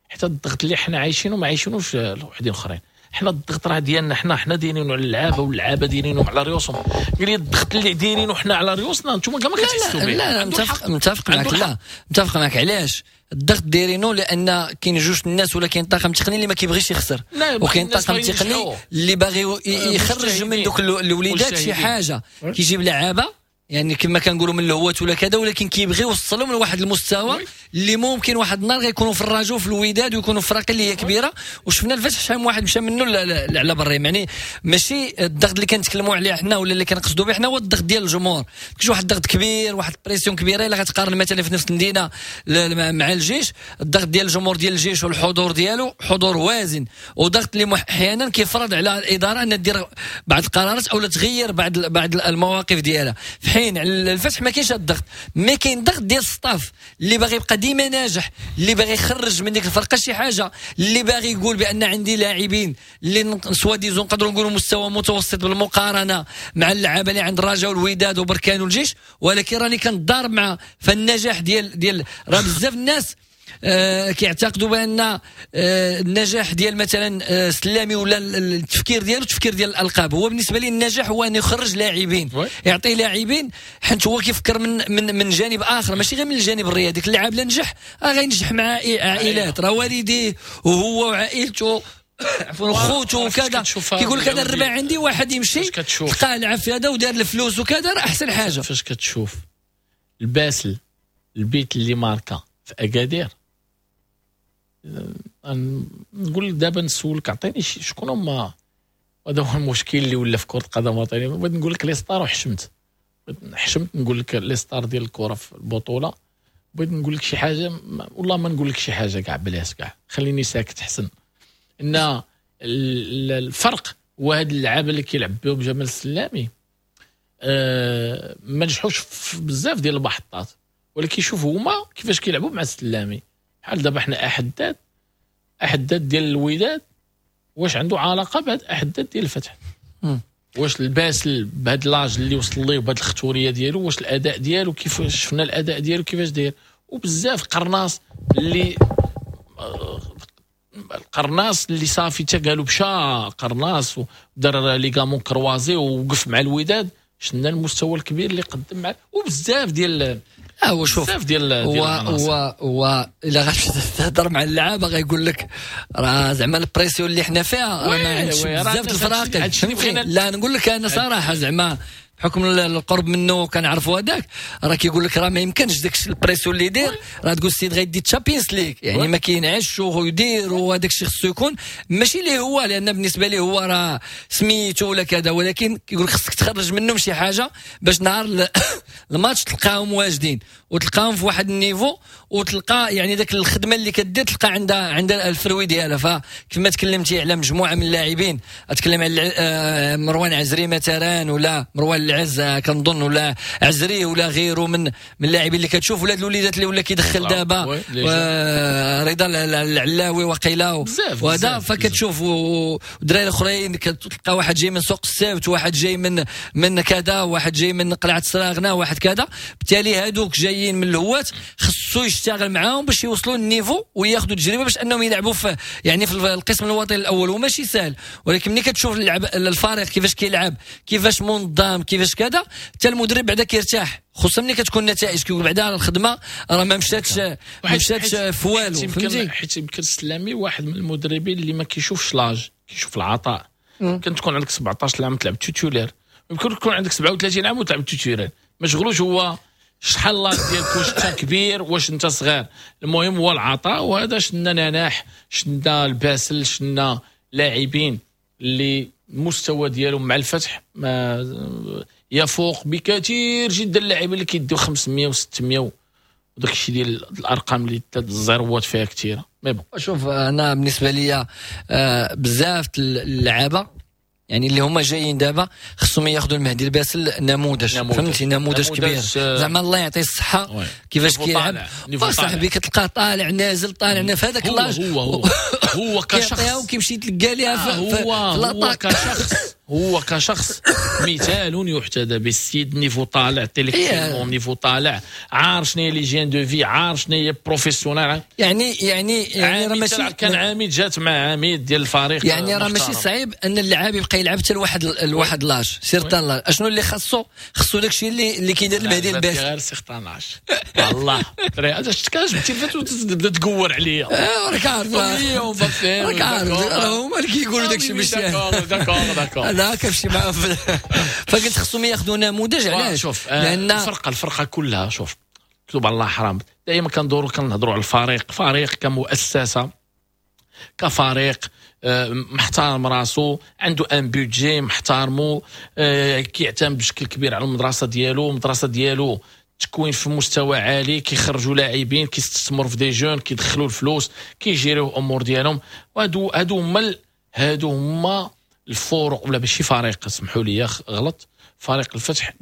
حتى الضغط اللي حنا عايشينه ما عايشينوش وحدين اخرين. حنا الضغط راه ديالنا حنا دايرينه على اللعابه واللعابه دايرينه على ريوسهم. قال لي الضغط اللي دايرينه حنا على ريوسنا انتوما كاع ما كتحسوا به. لا لا متفق معك. لا متفق معك. علاش الضغط دايرينه؟ لان كاين جوج الناس ولا كاين طاقم تقني اللي ما كيبغيش يخسر، وكاين طاقم تقني اللي باغي يخرج من دوك الوليدات شي حاجة، كيجيب لعابه يعني كما كنقولوا من الهوات ولا كذا، ولكن كيبغي يوصلهم لواحد المستوى اللي ممكن واحد النهار غيكونوا في الرجاء وفي الوداد ويكونوا في فرق اللي هي كبيرة. وشفنا الفتح شحال من واحد مشى منه على برا. يعني ماشي الضغط اللي كنتكلموا عليه حنا ولا اللي كنقصدوا به حنا هو الضغط ديال الجمهور. كاين واحد الضغط كبير، واحد pression كبيرة. الا غتقارن مثلا في نفس المدينة مع الجيش، الضغط ديال الجمهور ديال الجيش والحضور ديالو حضور وازن، وضغط اللي احيانا كيفرض على الادارة ان دير بعض القرارات او تغير بعض المواقف ديالها. في حين على الفتح ما كاينش الضغط، mais كاين ضغط ديال ال staff اللي باغي يبقى ديما ناجح، اللي باغي يخرج من ديك الفرقة شي حاجة، اللي باغي يقول بان عندي لاعبين اللي soi-disant نقدروا نقولوا مستوى متوسط بالمقارنة مع اللعابه اللي عند الرجاء والوداد وبركان والجيش، ولكن راني كنضارب مع فالنجاح ديال راه بزاف الناس كيعتقدوا بان النجاح ديال مثلا سلامي ولا التفكير ديالو التفكير ديال الالقاب. هو بالنسبة لي النجاح هو ان يخرج لاعبين، يعطي لاعبين، حيت هو كيفكر من من جانب اخر ماشي غير من الجانب الرياضي. ديك اللاعب لا نجح غينجح مع عائلات، راه والديه وهو وعائلته عفوا خوته وكذا. كيقول لك انا الربع عندي واحد يمشي تلقاه لعب في هذا ودار الفلوس وكذا، راه احسن حاجة. فاش كتشوف الباسل البيت اللي ماركا في اكادير، نقول لك دابا نسولك عطيني شكون هما وهذا هو المشكل اللي ولا في كره القدم الوطنية. بغيت نقول لك les stars وحشمت، حشمت نقول لك les stars ديال الكره في البطولة. بغيت نقول لك شي حاجة، والله ما نقول لك شي حاجة كاع، بلاش كاع، خليني ساكت حسن. ان الفرق هو هاد اللعابه اللي كيلعب بهم جمال السلامي ما نجحوش في بزاف ديال المحطات، ولكن شوفوا هما كيفاش كيلعبوا مع السلامي. بحال دابا حنا احداد ديال الوداد واش عنده علاقة بهاد احداد ديال الفتح؟ واش الباسل بهاد l'âge اللي وصل ليه وبهاد الختوريه ديالو، واش الاداء ديالو كيفاش شفنا الاداء ديالو كيفاش داير؟ وبزاف قرناص اللي صافي تا قالوا مشى قرناص ودار ligaments croisés ووقف مع الوداد، شفنا المستوى الكبير اللي قدم مع، وبزاف ديال هو شوف بزاف ديال هو الا غاتمشي تهضر مع اللعابه غايقول لك راه زعما ال pression اللي حنا فيها راه ما عندش بزاف الفراقي. لا نقول لك انا صراحة زعما بحكم القرب منه كنعرفوا هذاك، راه كيقول لك راه ما يمكنش داك ال pression اللي يدير، راه تقول السيد غيدي Champions League، يعني ما كينعش ويدير وهذاك الشيء خصو يكون ماشي ليه هو، لان بالنسبة ليه هو راه سميتو ولا كذا، ولكن كيقول لك خصك تخرج منهم شي حاجة باش نهار الماتش تلقاهم واجدين وتلقاهم في واحد ال niveau، وتلقى يعني داك الخدمة اللي كدير تلقى عندها ال fruit ديالها. فكما تكلمتي على مجموعة من اللاعبين، اتكلم على مروان عزري مثلا، ولا مروان العز كنظن، ولا عزري ولا غيره من اللاعبين اللي كتشوف، ولا الوليدات اللي ولا كيدخل دابا رضا العلاوي وقيله وهذا. فكتشوف ودراري الاخرين كتلقى واحد جاي من سوق السبت، واحد جاي من كذا، واحد جاي من قلعه السراغنه، واحد كذا. بالتالي هادوك جايين من الهوات خصو يشتغل معاهم باش يوصلوا لل niveau وياخذوا تجربه باش انهم يلعبوا في يعني في القسم الوطني الاول، وماشي سهل. ولكن ملي كتشوف الفريق كيفاش كيلعب، كيفاش منظم، كيفاش كذا، حتى المدرب بعدا كيرتاح، خصوصا ملي كتكون النتائج كيقول بعدا الخدمة راه ما مشاتش في والو. فهمتي؟ حيت يمكن السلامي واحد من المدربين اللي ما كيشوفش l'âge، كيشوف العطاء. يمكن تكون عندك 17 عام تلعب titulaire، يمكن تكون عندك 37 عام وتلعب titulaire، ما شغلوش هو شحال l'âge ديالك، واش انت كبير واش انت صغير، المهم هو العطاء. وهذا شنا نناح، شنا الباسل، شنا لاعبين اللي المستوى ديالهم مع الفتح ما يفوق بكثير جدا اللاعبين اللي كيديو 500 و600 وداك الشيء ديال الارقام اللي ثلاث الزيروات فيها كثيرة. mais bon شوف انا بالنسبة لي بزاف اللعابه يعني اللي هما جايين دابا خصهم ياخذوا المهدي الباسل نموذج، فهمتي؟ نموذج كبير زعما الله يعطيه الصحة كيفاش كيلعب صاحبي، كتلقاه طالع نازل طالع نازل في هذاك l'âge. هو كشخص وكيمشي يتلقى ليها هو كشخص، هو كشخص مثال يحتذى بالسيد. niveau طالع، intellectuellement niveau طالع، عارف شنو هي l'hygiène de vie، عارف شنو هي professionnel. يعني راه ماشي كان عميد، جات مع عميد ديال الفريق، يعني راه ماشي صعيب ان اللاعب يبقى يلعب حتى لواحد l'âge certain l'âge. اشنو اللي خاصو داكشي اللي كيدير المهدي الباسل غير certain l'âge. والله هذا شفت كاش جبتي وتبدا تقور عليا. راك عارف، راك عارف راه هما اللي كيقولوا داكشي باش d'accord d'accord. لا كنمشي معاهم. فقلت خصهم ياخذوا نموذج. علاش؟ شوف لان الفرقة كلها، شوف كتب على الله حرام، دائما كندوروا كنهضروا على الفريق، فريق كمؤسسة، كفريق محترم راسو، عنده un budget محترمو، كيعتمد بشكل كبير على المدرسة ديالو، المدرسة ديالو تكوين في مستوى عالي، كيخرجوا لاعبين، كيستثمروا في des jeunes، كيدخلوا الفلوس، كيجيريو الامور ديالهم. وهادو هادو هما الفرق، ولا ماشي فريق، اسمحوا لي غلط، فريق الفتح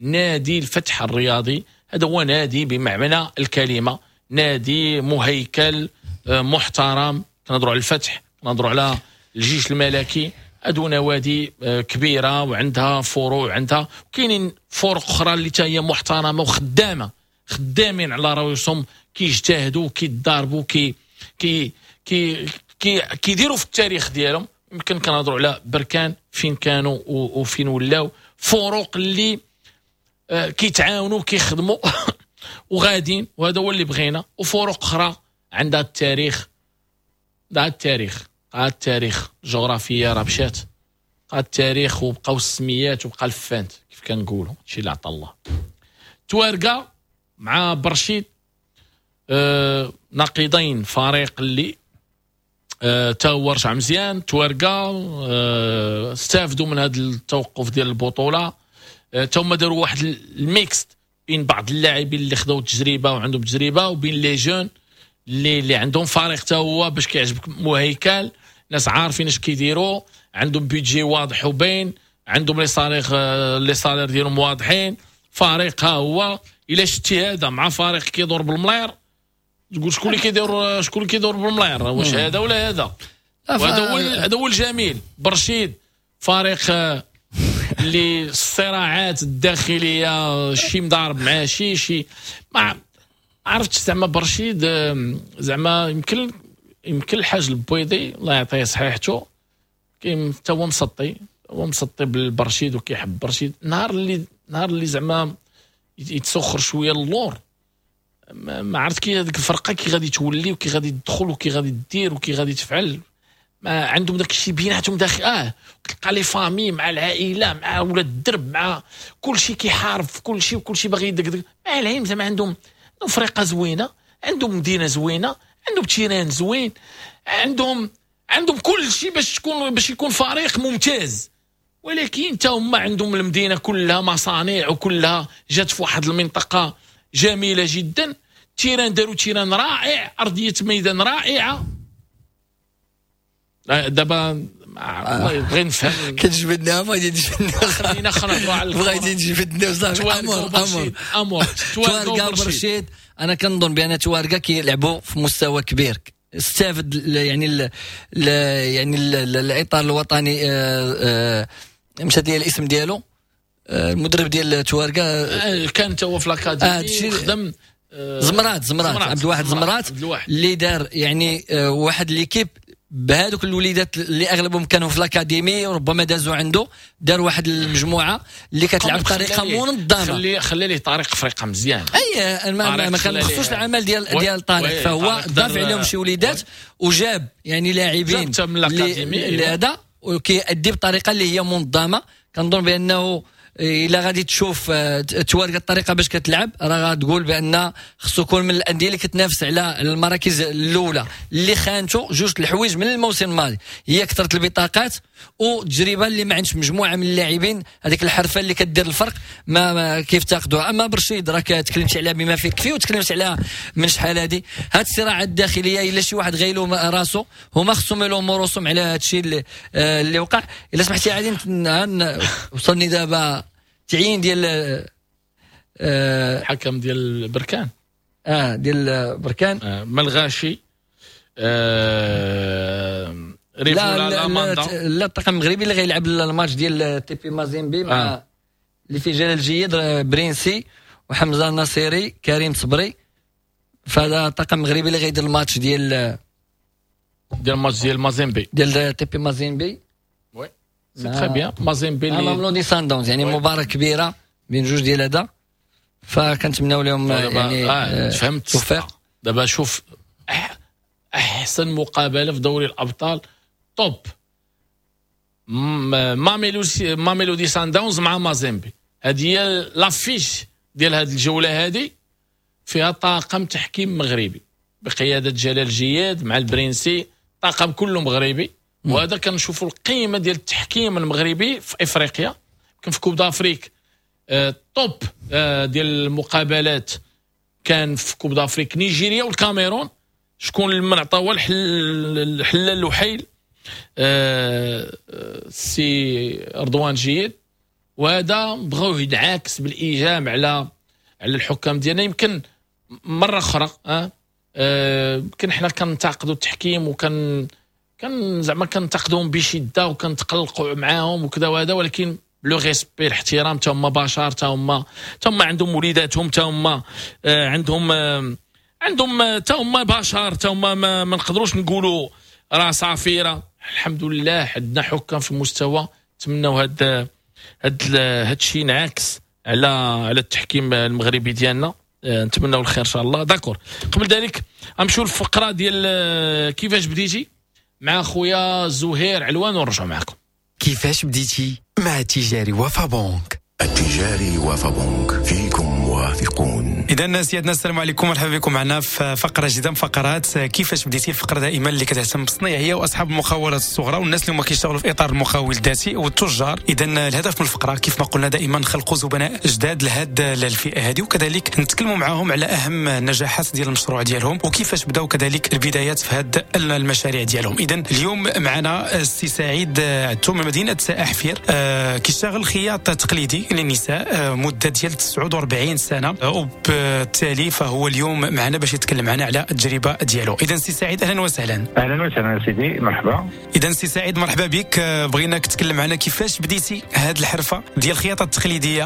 نادي الفتح الرياضي. هذا هو نادي بمعنى الكلمة، نادي مهيكل محترم. كنهضروا على الفتح، كنهضروا على الجيش الملكي، هادو نوادي كبيرة وعندها فروع، عندها وكاينين فرق اخرى اللي حتى هي محترمه وخدامه، خدامين على رؤوسهم، كيجتهدوا، كيتضاربوا، كي كي كي كيديروا في التاريخ ديالهم. يمكن كنهضروا على بركان فين كانوا وفين ولاو، فروق اللي كيتعاونوا كيخدموا وغادين، وهذا هو اللي بغينا. وفروق اخرى عندها التاريخ، التاريخ الجغرافية راه مشات، التاريخ وبقاو السميات وبقى الفانت كيف كنقولوا، هادشي اللي عطا الله. توارقه مع برشيد، نقيضين، فريق اللي تا هو رجع مزيان. توارقه استافدوا من هذا التوقف ديال البطولة، تا هما داروا واحد ال mix بين بعض اللاعبين اللي خداو التجربة وعندهم تجربه، وبين les jeunes اللي عندهم فريق تا هو باش كيعجبك مهيكل، ناس عارفين اش كيديروا، عندهم budget واضح وباين، عندهم les salaires ديالهم واضحين. فريق ها هو الا شتي هذا مع فريق كيدور بالملاير تقول شكون اللي كيدور، شكون اللي كيدور بالملاير، واش هذا ولا هذا؟ وهذا هو الجميل. برشيد فريق اللي الصراعات الداخلية شي مضارب مع شي ما عرفتش زعما. برشيد زعما يمكن الحاج البويضي الله يعطيه صحيحته، كاين حتى هو مسطي، هو مسطي بالبرشيد وكيحب برشيد. نهار اللي زعما يتسخر شوية اللور، ما عرفت كي هذيك الفرقة كي غادي تولي وكي غادي تدخل وكي غادي دير وكي غادي تفعل. ما عندهم داك الشيء بيناتهم داخل. تلقى les familles مع العائلة مع ولاد الدرب مع كل شيء كيحارب في كل شيء وكل شيء باغي يدقدق. مع العلم زعما عندهم فرقه زوينة، عندهم مدينة زوينة، عندهم terrain زوين، عندهم كل شيء باش يكون فريق ممتاز. ولكن تا هما عندهم المدينة كلها مصانع وكلها جات في واحد المنطقة جميلة جدا. terrain داروا terrain رائع، ارضية ميدان رائعة. دابا بغيت نفهم كتجبدنا، بغيتي تجبدنا، خلينا نهضروا على بغيتي تجبدنا وصافي. امور توارقه برشيد، انا كنظن بان توارقه كيلعبوا في مستوى كبير. استافد يعني يعني الاطار الوطني، مشات لي الاسم ديالو، المدرب ديال توارقه كان تا هو في l'académie خدم زمرات عبد الواحد زمرات اللي دار يعني واحد l'équipe بهذوك الوليدات اللي اغلبهم كانوا في l'académie وربما دازوا عنده، دار واحد المجموعة اللي كتلعب بطريقة منظمة. خلي ليه طارق فريقه مزيان. اي ما كنخصوش العمل ديال طارق، فهو ضاف عليهم شي وليدات وجاب يعني لاعبين اللي هذا وكيأدي بطريقة اللي هي منظمة. كنظن بانه الا غادي تشوف توارق الطريقة باش كتلعب راه غتقول بان خصو يكون من الاندية اللي كتنافس على المراكز الاولى. اللي خانته جوج الحوايج من الموسم الماضي، هي كثرة البطاقات والتجربة اللي ما عندش مجموعة من اللاعبين، هذيك الحرفة اللي كدير الفرق ما كيف تاخذوها. اما برشيد راك تكلمت عليها بما فيه الكفي وتكلمت عليها من شحال هذه. هاد الصراعات الداخلية الا شي واحد غيلوم راسو هما خصهم يلوموا راسهم على هذا الشيء اللي وقع. الا سمحتي عادي وصلني دابا تعيين ديال الحكم ديال بركان، ديال بركان ملغاشي. لا لا الطاقم المغربي اللي غيلعب الماتش ديال تي بي مازيمبي مع اللي فيه جلال جيد برينسي وحمزة النصيري كريم صبري. فهذا الطاقم المغربي اللي غيدير الماتش ديال الماتش ديال مازيمبي ديال تي بي مازيمبي. oui c'est très bien. مازيمبي اللي ماملودي ساندونز، يعني مباراة كبيرة بين جوج ديال هذا، فكنتمناو لهم يعني فهمت التوفيق. دابا شوف احسن مقابله في دوري الابطال top، ماميلودي سانداونز مع مازيمبي. هذه هي l'affiche ديال هذه الجولة، هذه فيها طاقم تحكيم مغربي بقيادة جلال جياد مع البرنسي، طاقم كله مغربي. وهذا كنشوفوا القيمة ديال التحكيم المغربي في افريقيا. كان في Coupe d'Afrique top ديال المقابلات كان في Coupe d'Afrique نيجيريا والكاميرون، شكون من عطاو الحلال الوحيل سي رضوان جيد. وهذا بغاوه ينعكس بالايجاب على الحكام ديالنا. يمكن مرة اخرى يمكن حنا كنتعقدوا التحكيم وكان كان زعما كنتقدوهم بشده وكنتقلقوا معاهم وكذا وهذا، ولكن le respect الاحترام، تا هما بشر، تا هما عندهم وليداتهم، تا هما عندهم تا هما بشر، تا هما ما نقدروش نقولوا راه صافي. راه الحمد لله عندنا حكام في المستوى. نتمناو هاد الشيء ينعكس على التحكيم المغربي ديالنا. نتمناو الخير ان شاء الله. d'accord، قبل ذلك غنمشيو للفقرة ديال كيفاش بديتي مع خويا زهير علوان ونرجعوا معكم. كيفاش بديتي مع التجاري وفا بنك. التجاري وفا بنك فيكم المراهقون. اذا سيادنا السلام عليكم، مرحبا بكم معنا في فقره جديدة من فقرات كيفاش بديتي، الفقرة دائما اللي كتهتم بالصنايعيه واصحاب المقاولات الصغرى والناس اللي هما كيشتغلوا في اطار المقاول الذاتي والتجار. اذا الهدف من الفقرة كيف ما قلنا دائما نخلقوا زبناء جداد لهاد الفئة هذه، وكذلك نتكلموا معاهم على اهم النجاحات ديال المشروع ديالهم وكيفاش بداو كذلك البدايات في هاد المشاريع ديالهم. اذا اليوم معنا السي سعيد عتو من مدينة احفير، كيشتغل خياط تقليدي للنساء مده ديال 49 سنة، وبالتالي فهو اليوم معنا باش يتكلم معنا على التجربة ديالو. اذا سي سعيد اهلا وسهلا. اهلا وسهلا سيدي، مرحبا. اذا سي سعيد مرحبا بك، بغيناك تتكلم معنا كيفاش بديتي هذه الحرفة ديال الخياطة التقليدية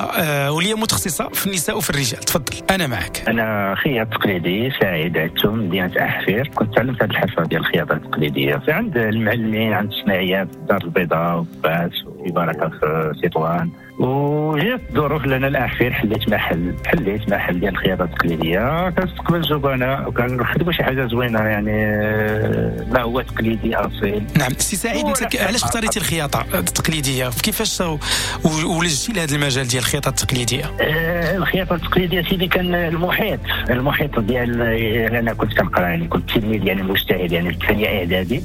واللي متخصصة في النساء وفي الرجال. تفضل انا معك. انا خياط تقليدي سعيد عتو من مدينة احفير. كنت تعلمت هذه الحرفة ديال الخياطة التقليدية عند المعلمين، عند الصناعيات في الدار البيضاء وفاس وفي بركة في تطوان، وجات الظروف لنا الاخير حليت محل ديال الخياطة التقليدية. كنستقبل زبناء وكنخدموا شي حاجة زوينة، يعني ما هو تقليدي اصيل. نعم سي سعيد، انت علاش اختاريتي الخياطة التقليدية؟ كيفاش ولجتي لهذا المجال ديال الخياطة التقليدية؟ الخياطة التقليدية سيدي كان المحيط ديال انا كنت كنقرا، يعني كنت تلميذ يعني مجتهد، يعني في الثانية اعدادي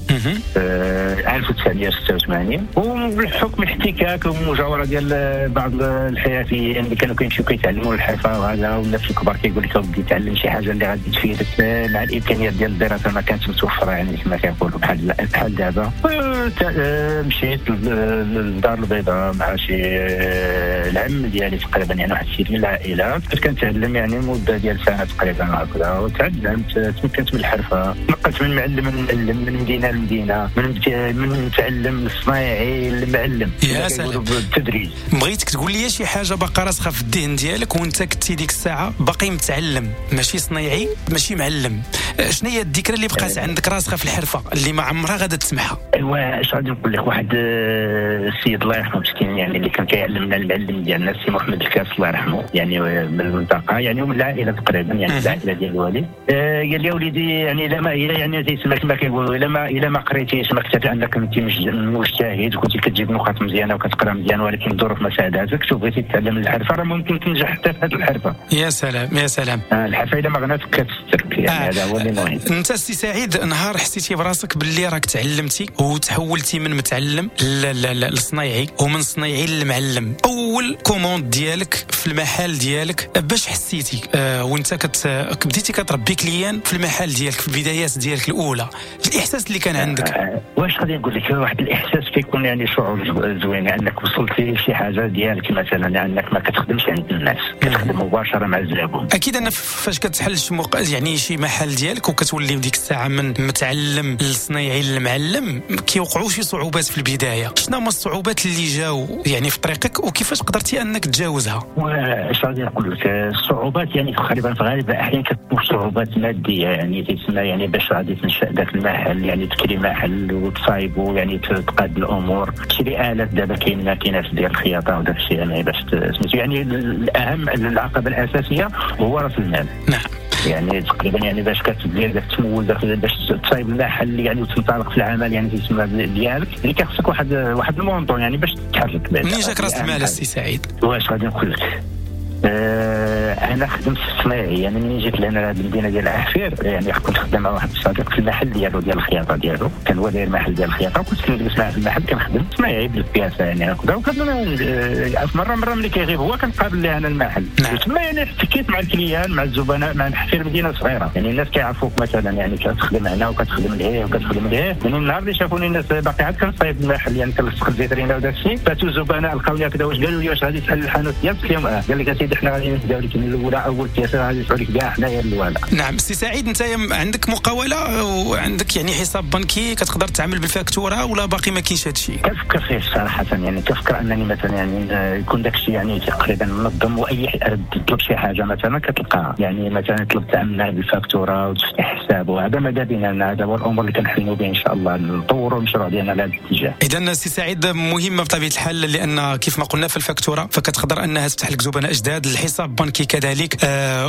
1986، وبالحكم الاحتكاك والمجاوره ديال بعض الحرفيين اللي كانوا كيمشيو كيتعلموا الحرفة وهذا، والناس الكبار كيقول لك ودي تعلم شي حاجة اللي غادي تفيدك، مع الامكانيات ديال الدراسة ما كانتش متوفرة، يعني كما كنقولوا بحال دابا. مشيت للدار البيضاء مع شي العم ديالي تقريبا، يعني واحد السيد من العائلة، كنت كنتعلم يعني مده ديال سنة تقريبا هكذا، وتعلمت تمكنت من الحرفة، نقلت من معلم لمعلم، من مدينة لمدينة، من متعلم للصنايعي للمعلم. يا سلام، بالتدريج. بغيتك تقول لي شي حاجة باقا راسخة في الذهن ديالك وانت كنتي ديك الساعة باقي متعلم، ماشي صنايعي ماشي معلم، شنو هي الذكرى اللي بقات عندك راسخة في الحرفة اللي ما عمرها غادا تسمحها؟ ايوا اش غادي نقول لك، واحد السيد الله يرحمه مسكين، يعني اللي كان كيعلمنا المعلم ديالنا السي محمد الكاس الله يرحمه، يعني من المنطقة، يعني ومن العائلة تقريبا، يعني العائلة ديال الوالد. قال لي وليدي يعني الا ما يعني تيسمى كما كيقولوا، الا ما قريتيش ما كتبت انك انت مجتهد وكنتي كتجيب نقاط مزيانه وكتقرا مزيان، ولكن الظروف ما ساعداتكش وبغيتي تتعلم الحرفة، راه ممكن تنجح حتى في هذه الحرفة. يا سلام يا سلام. الحرفة الا ما غناتك كتسترك، يعني هذا هو اللي مهم. انت سي سعيد نهار حسيتي براسك باللي راك تعلمتي وتحولتي من متعلم للصنايعي ومن صنايعي للمعلم، اول commande ديالك في المحل ديالك باش حسيتي وانت بديتي كتربي client في المحل ديالك في البدايات ديالك الاولى، الاحساس اللي كان عندك؟ واش غادي نقول لك، واحد الاحساس كيكون يعني شعور زوين، انك وصلتي لشي حاجة ديالك مثلا، انك ما كتخدمش عند الناس، كتخدم مباشرة مع الزبون. اكيد ان فاش كتحل يعني شي محل ديالك وكتولي ديك الساعة من متعلم للصنايعي للمعلم، كيوقعوا شي صعوبات في البداية. شنو هما الصعوبات اللي جاو يعني في طريقك وكيفاش قدرتي انك تجاوزها؟ واش غادي نقول لك، الصعوبات يعني تقريبا في غالب الاحيان كتكون صعوبات مادية، يعني تسمى يعني باش غادي تنشا ذاك المحل، يعني تكري محل وتصايبو، يعني تقاد الامور، تشري الات. دابا كاين ماكينات ديال الخياطة وداك الشيء، يعني باش سميتو، يعني الاهم العقبة الاساسية هو راس المال. نعم، يعني تقريبا يعني باش كتدير داك التمول باش تصايب المحل يعني وتنطلق في العمل، يعني تسمى ديالك، اللي كيخصك واحد ال montant يعني باش تتحرك. منين جاك راس المال السي سعيد؟ واش غادي نقول لك، انا خدمت في الصنايعي، يعني منين جيت لهنا لهاد المدينة ديال احفير، يعني كنت خدام مع واحد الصديق في المحل ديالو ديال الخياطة ديالو، كان هو داير محل ديال الخياطة، وكنت كنجلس معاه في المحل كنخدم صنايعي بالبياسه يعني هكذا، وكان مرة ملي كيغيب هو كنقابل ليه انا المحل. وتما يعني احتكيت مع ال clients مع الزبناء، مع حفير مدينة صغيرة، يعني الناس كيعرفوك مثلا، يعني كتخدم هنا وكتخدم لهيه وكتخدم لهيه. يعني النهار اللي شافوني الناس باقي عاد كنصايب المحل، يعني كنلصق الفيترينا وداك الشيء، فاتوا الزبناء لقاوني هكذا، واش قالوا لي واش غادي تحل الحانوت ديالك؟ قلت لهم قال لك اسيدي حنا غادي نبداو لك من الاولى، اول pièce غادي ندفعوا لك كاع حنايا الاولى. نعم سي سعيد، انت عندك مقاوله وعندك يعني حساب بنكي كتقدر تعمل بالفاكتوره ولا باقي ما كاينش هادشي؟ كنفكر فيه صراحة، يعني كنفكر انني مثلا يعني يكون داكشي يعني تقريبا منظم، واي تطلب شي حاجة مثلا كتلقاها، يعني مثلا طلبت تعمل بالفاكتوره وتفتح حساب، وهذا ماذا بينا، هذا هو الامور اللي كنحلموا به ان شاء الله، نطوروا المشروع ديالنا على هذا الاتجاه. اذا سي سعيد مهمة بطبيعة الحال، لان كيف ما قلنا في الفاكتوره فكتقدر انها تفتح لك زبناء جداد، الحساب بنكي كذلك. كذلك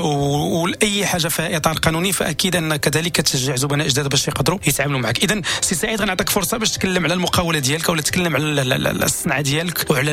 واي حاجة في اطار قانوني، فاكيد ان كذلك كتشجع زبناء جداد باش يقدروا يتعاملوا معك. اذا سي سعيد غنعطيك فرصة باش تتكلم على المقاوله ديالك ولا تتكلم على الصنعة ديالك وعلى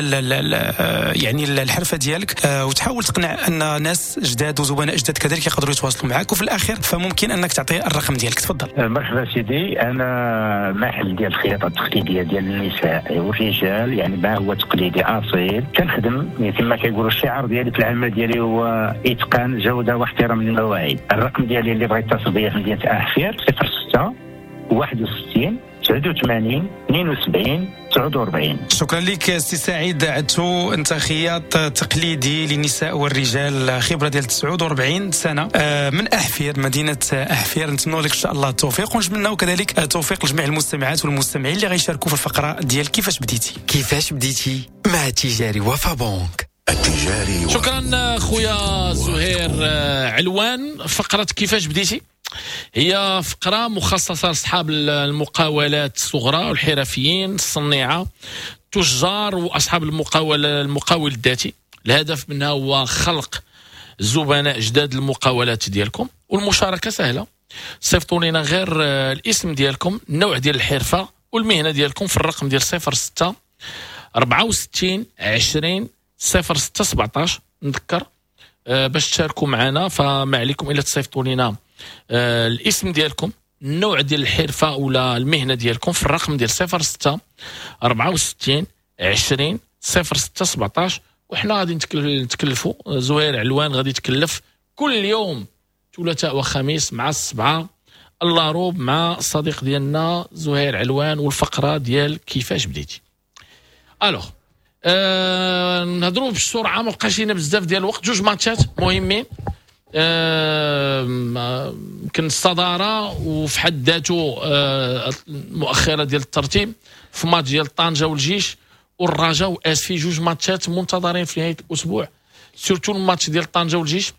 يعني الحرفة ديالك، وتحاول تقنع ان ناس جداد وزبناء جداد كذلك يقدروا يتواصلوا معك، وفي الاخير فممكن انك تعطي الرقم ديالك. تفضل. مرحبا سيدي، انا محل ديال الخياطة التقليدية ديال النساء والرجال، يعني ما هو تقليدي اصيل. كنخدم كما كيقولوا الشعار ديالي في العمل ديالي هو اتقان جوده واحترام للمواعيد. الرقم ديالي اللي بغيت يتصل بيا في مدينة احفير 06 61 89 72 49. شكرا لك سي سعيد عدتو، انت خياط تقليدي للنساء والرجال، خبره ديال 49 سنة من احفير، مدينة احفير. نتمنى لك ان شاء الله التوفيق، ونتمناو كذلك التوفيق لجميع المستمعات والمستمعين اللي غيشاركوا في الفقرة ديال كيفاش بديتي. كيفاش بديتي مع تجاري وفا بنك. التجاري. شكرا خويا زهير علوان. فقره كيفاش بديتي هي فقرة مخصصة لأصحاب المقاولات الصغرى والحرفيين الصنيعة، التجار وأصحاب المقاول الذاتي. الهدف منها هو خلق زبناء جداد المقاولات ديالكم، والمشاركة سهلة. صيفطوا لنا غير الاسم ديالكم، النوع ديال الحرفة والمهنة ديالكم في الرقم ديال 06 64 20 06 17. نذكر باش تشاركوا معنا، فما عليكم إلا تصيفطوا لنا الاسم ديالكم، النوع ديال الحرفة ولا المهنة ديالكم في الرقم ديال 06 64 20 06 17. وحنا غادي نتكلفوا، زهير علوان غادي يتكلف كل يوم ثلاثاء وخميس مع 7 اللاروب مع الصديق ديالنا زهير علوان والفقرة ديال كيفاش بديتي. alors نهضروا بسرعة، ما بقاش لينا بزاف ديال الوقت. جوج ماتشات مهمين، يمكن الصدارة وفي حد ذاته المؤخرة ديال الترتيب في ماتش ديال طنجه والجيش والرجاء واسفي، جوج ماتشات منتظرين في نهاية الاسبوع، surtout الماتش ديال طنجه والجيش.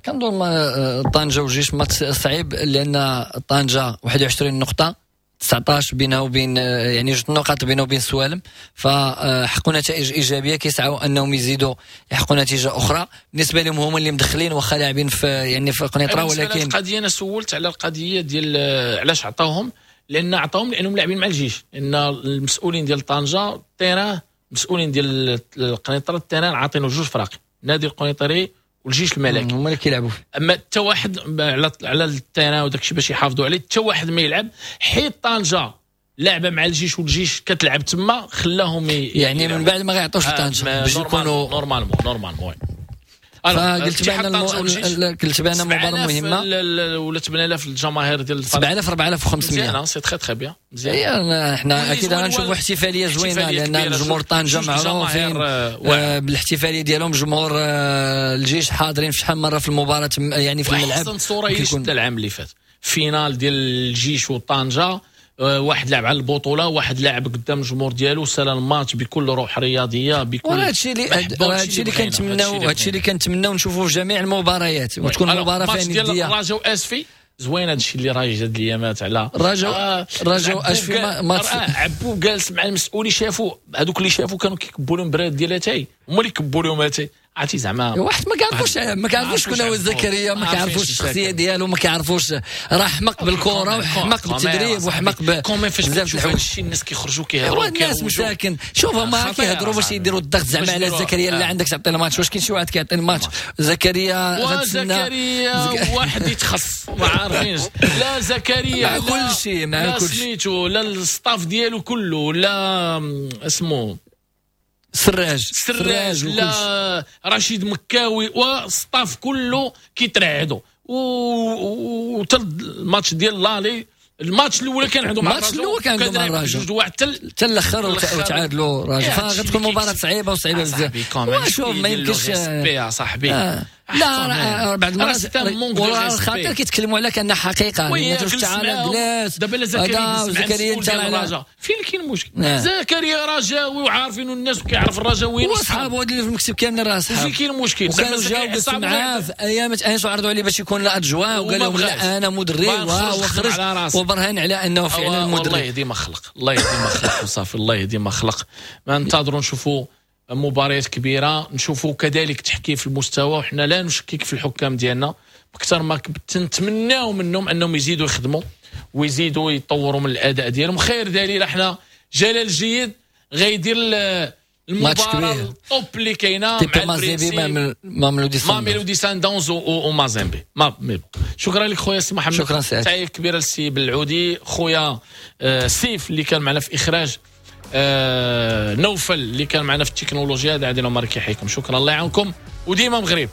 كنظن طنجه والجيش ماتش صعيب، لان طنجه 21 نقطة، 19 بينها وبين يعني جوج نقاط بينه وبين سوالم، فحقوا نتائج ايجابية، كيسعوا انهم يزيدوا يحقوا نتيجة اخرى. بالنسبة لهم هما اللي مدخلين واخا لاعبين في يعني في قنيطره، ولكن القضية انا سولت على القضية ديال علاش عطاوهم، لان عطاوهم لانهم لاعبين مع الجيش، لان المسؤولين ديال طنجه ال terrain، مسؤولين ديال القنيطره ال terrain عاطينو جوج فراق، نادي القنيطري والجيش الملكي، هما اللي كيلعبوا فيه. اما حتى واحد على ال terrain وداك الشيء باش يحافظوا عليه، حتى واحد ما يلعب، حيت طنجه لعبه مع الجيش والجيش كتلعب تما، خلاهم يعني من بعد ما غيعطوش لطنجه باش يكونوا normalement. فقلت بان قلت بان مباراة مهمة، ولا 8000 الجماهير ديال 7000 4500، c'est très très bien، مزيان. احنا اكيد غنشوفوا احتفالية زوينة، لان جمهور طنجه معروفين بالاحتفاليه ديالهم، جمهور الجيش حاضرين في شحال مرة في المباراة يعني في الملعب. احسن صوره هي شفت العام اللي فات، finale ديال الجيش وطنجه، واحد لعب على البطولة، واحد لعب قدام الجمهور ديالو، سال الماتش بكل روح رياضية، بكل هادشي اللي كنتمناو، هادشي اللي كنتمناو نشوفوه في جميع المباريات، وتكون مباراة فيها نديه. ديال الرجاء واسفي زوين هادشي اللي رايج هاد الايامات على الرجاء اسفي. ماتش عبو جالس مع المسؤولين، شافوا هذوك اللي شافوا كانوا كيكبوا لهم براد ديال اتاي، هما اللي كبوا لهم اتاي. عرفتي زعما واحد ما كيعرفوش شكون هو زكريا، ما كيعرفوش الشخصية ديالو، ما كيعرفوش، راه حمق بالكرة وحمق بالتدريب وحمق بزاف الحوايج. الناس كيخرجوا كيهضروا، الناس مساكن شوف هما كيهضروا باش يديروا الضغط زعما على زكريا. لا عندك تعطي الماتش، واش كاين شي واحد كيعطي الماتش؟ زكريا غتسنى زكريا واحد يتخص، ما عارفينش لا زكريا مع كل شيء، مع كل شيء سميتو، لا ال staff ديالو كله، لا اسمو سراج، لا رشيد مكاوي، وال staff كله كيترعدوا. وتا الماتش ديال l'aller، الماتش الاول كان عندهم الماتش الاول كان عندهم الرجاء جوج واحد حتى الاخر وتعادلوا الرجاء، فغتكون مباراة صعيبة وصعيبه بزاف. وشوف ما يمكنش يا صاحبي، لا بعض المرات والخاطر كيتكلموا على كانها حقيقة، تعال جلاس دابا زكريا انت الرجاء فين كاين المشكل؟ زكريا رجاوي وعارفين الناس وكيعرف الرجاويين وصحابو اللي في المكتب كاملين راه صحاب، فين كاين المشكل؟ وكانوا جاو جلسوا معاه في ايام انس وعرضوا عليه باش يكون l'adjoint، وقال لهم لا انا مدرب، وخرج وبرهن على انه فعلا مدرب. الله يهدي ما خلق، الله يهدي ما خلق وصافي، الله يهدي ما خلق. ما ننتظروا نشوفوا مباريات كبيرة، نشوفوا كذلك تحكيم في المستوى، وحنا لا نشكك في الحكام ديالنا بكثر ما تنتمناو منهم انهم يزيدوا يخدموا ويزيدوا يطوروا من الاداء ديالهم. خير دليل احنا جلال الجيد غيدير المباراة ال top اللي كاينه مع مازيمبي، ماميلودي سان داونز ومازيمبي. ما mais bon، شكرا لك خويا سي محمد. شكرا سعيد. تحية كبيرة للسي بالعودي، خويا سيف اللي كان معنا في اخراج، نوفل اللي كان معنا في التكنولوجيا. هذا عادل عمر كيحييكم. شكرا، الله يعاونكم وديما مغرب.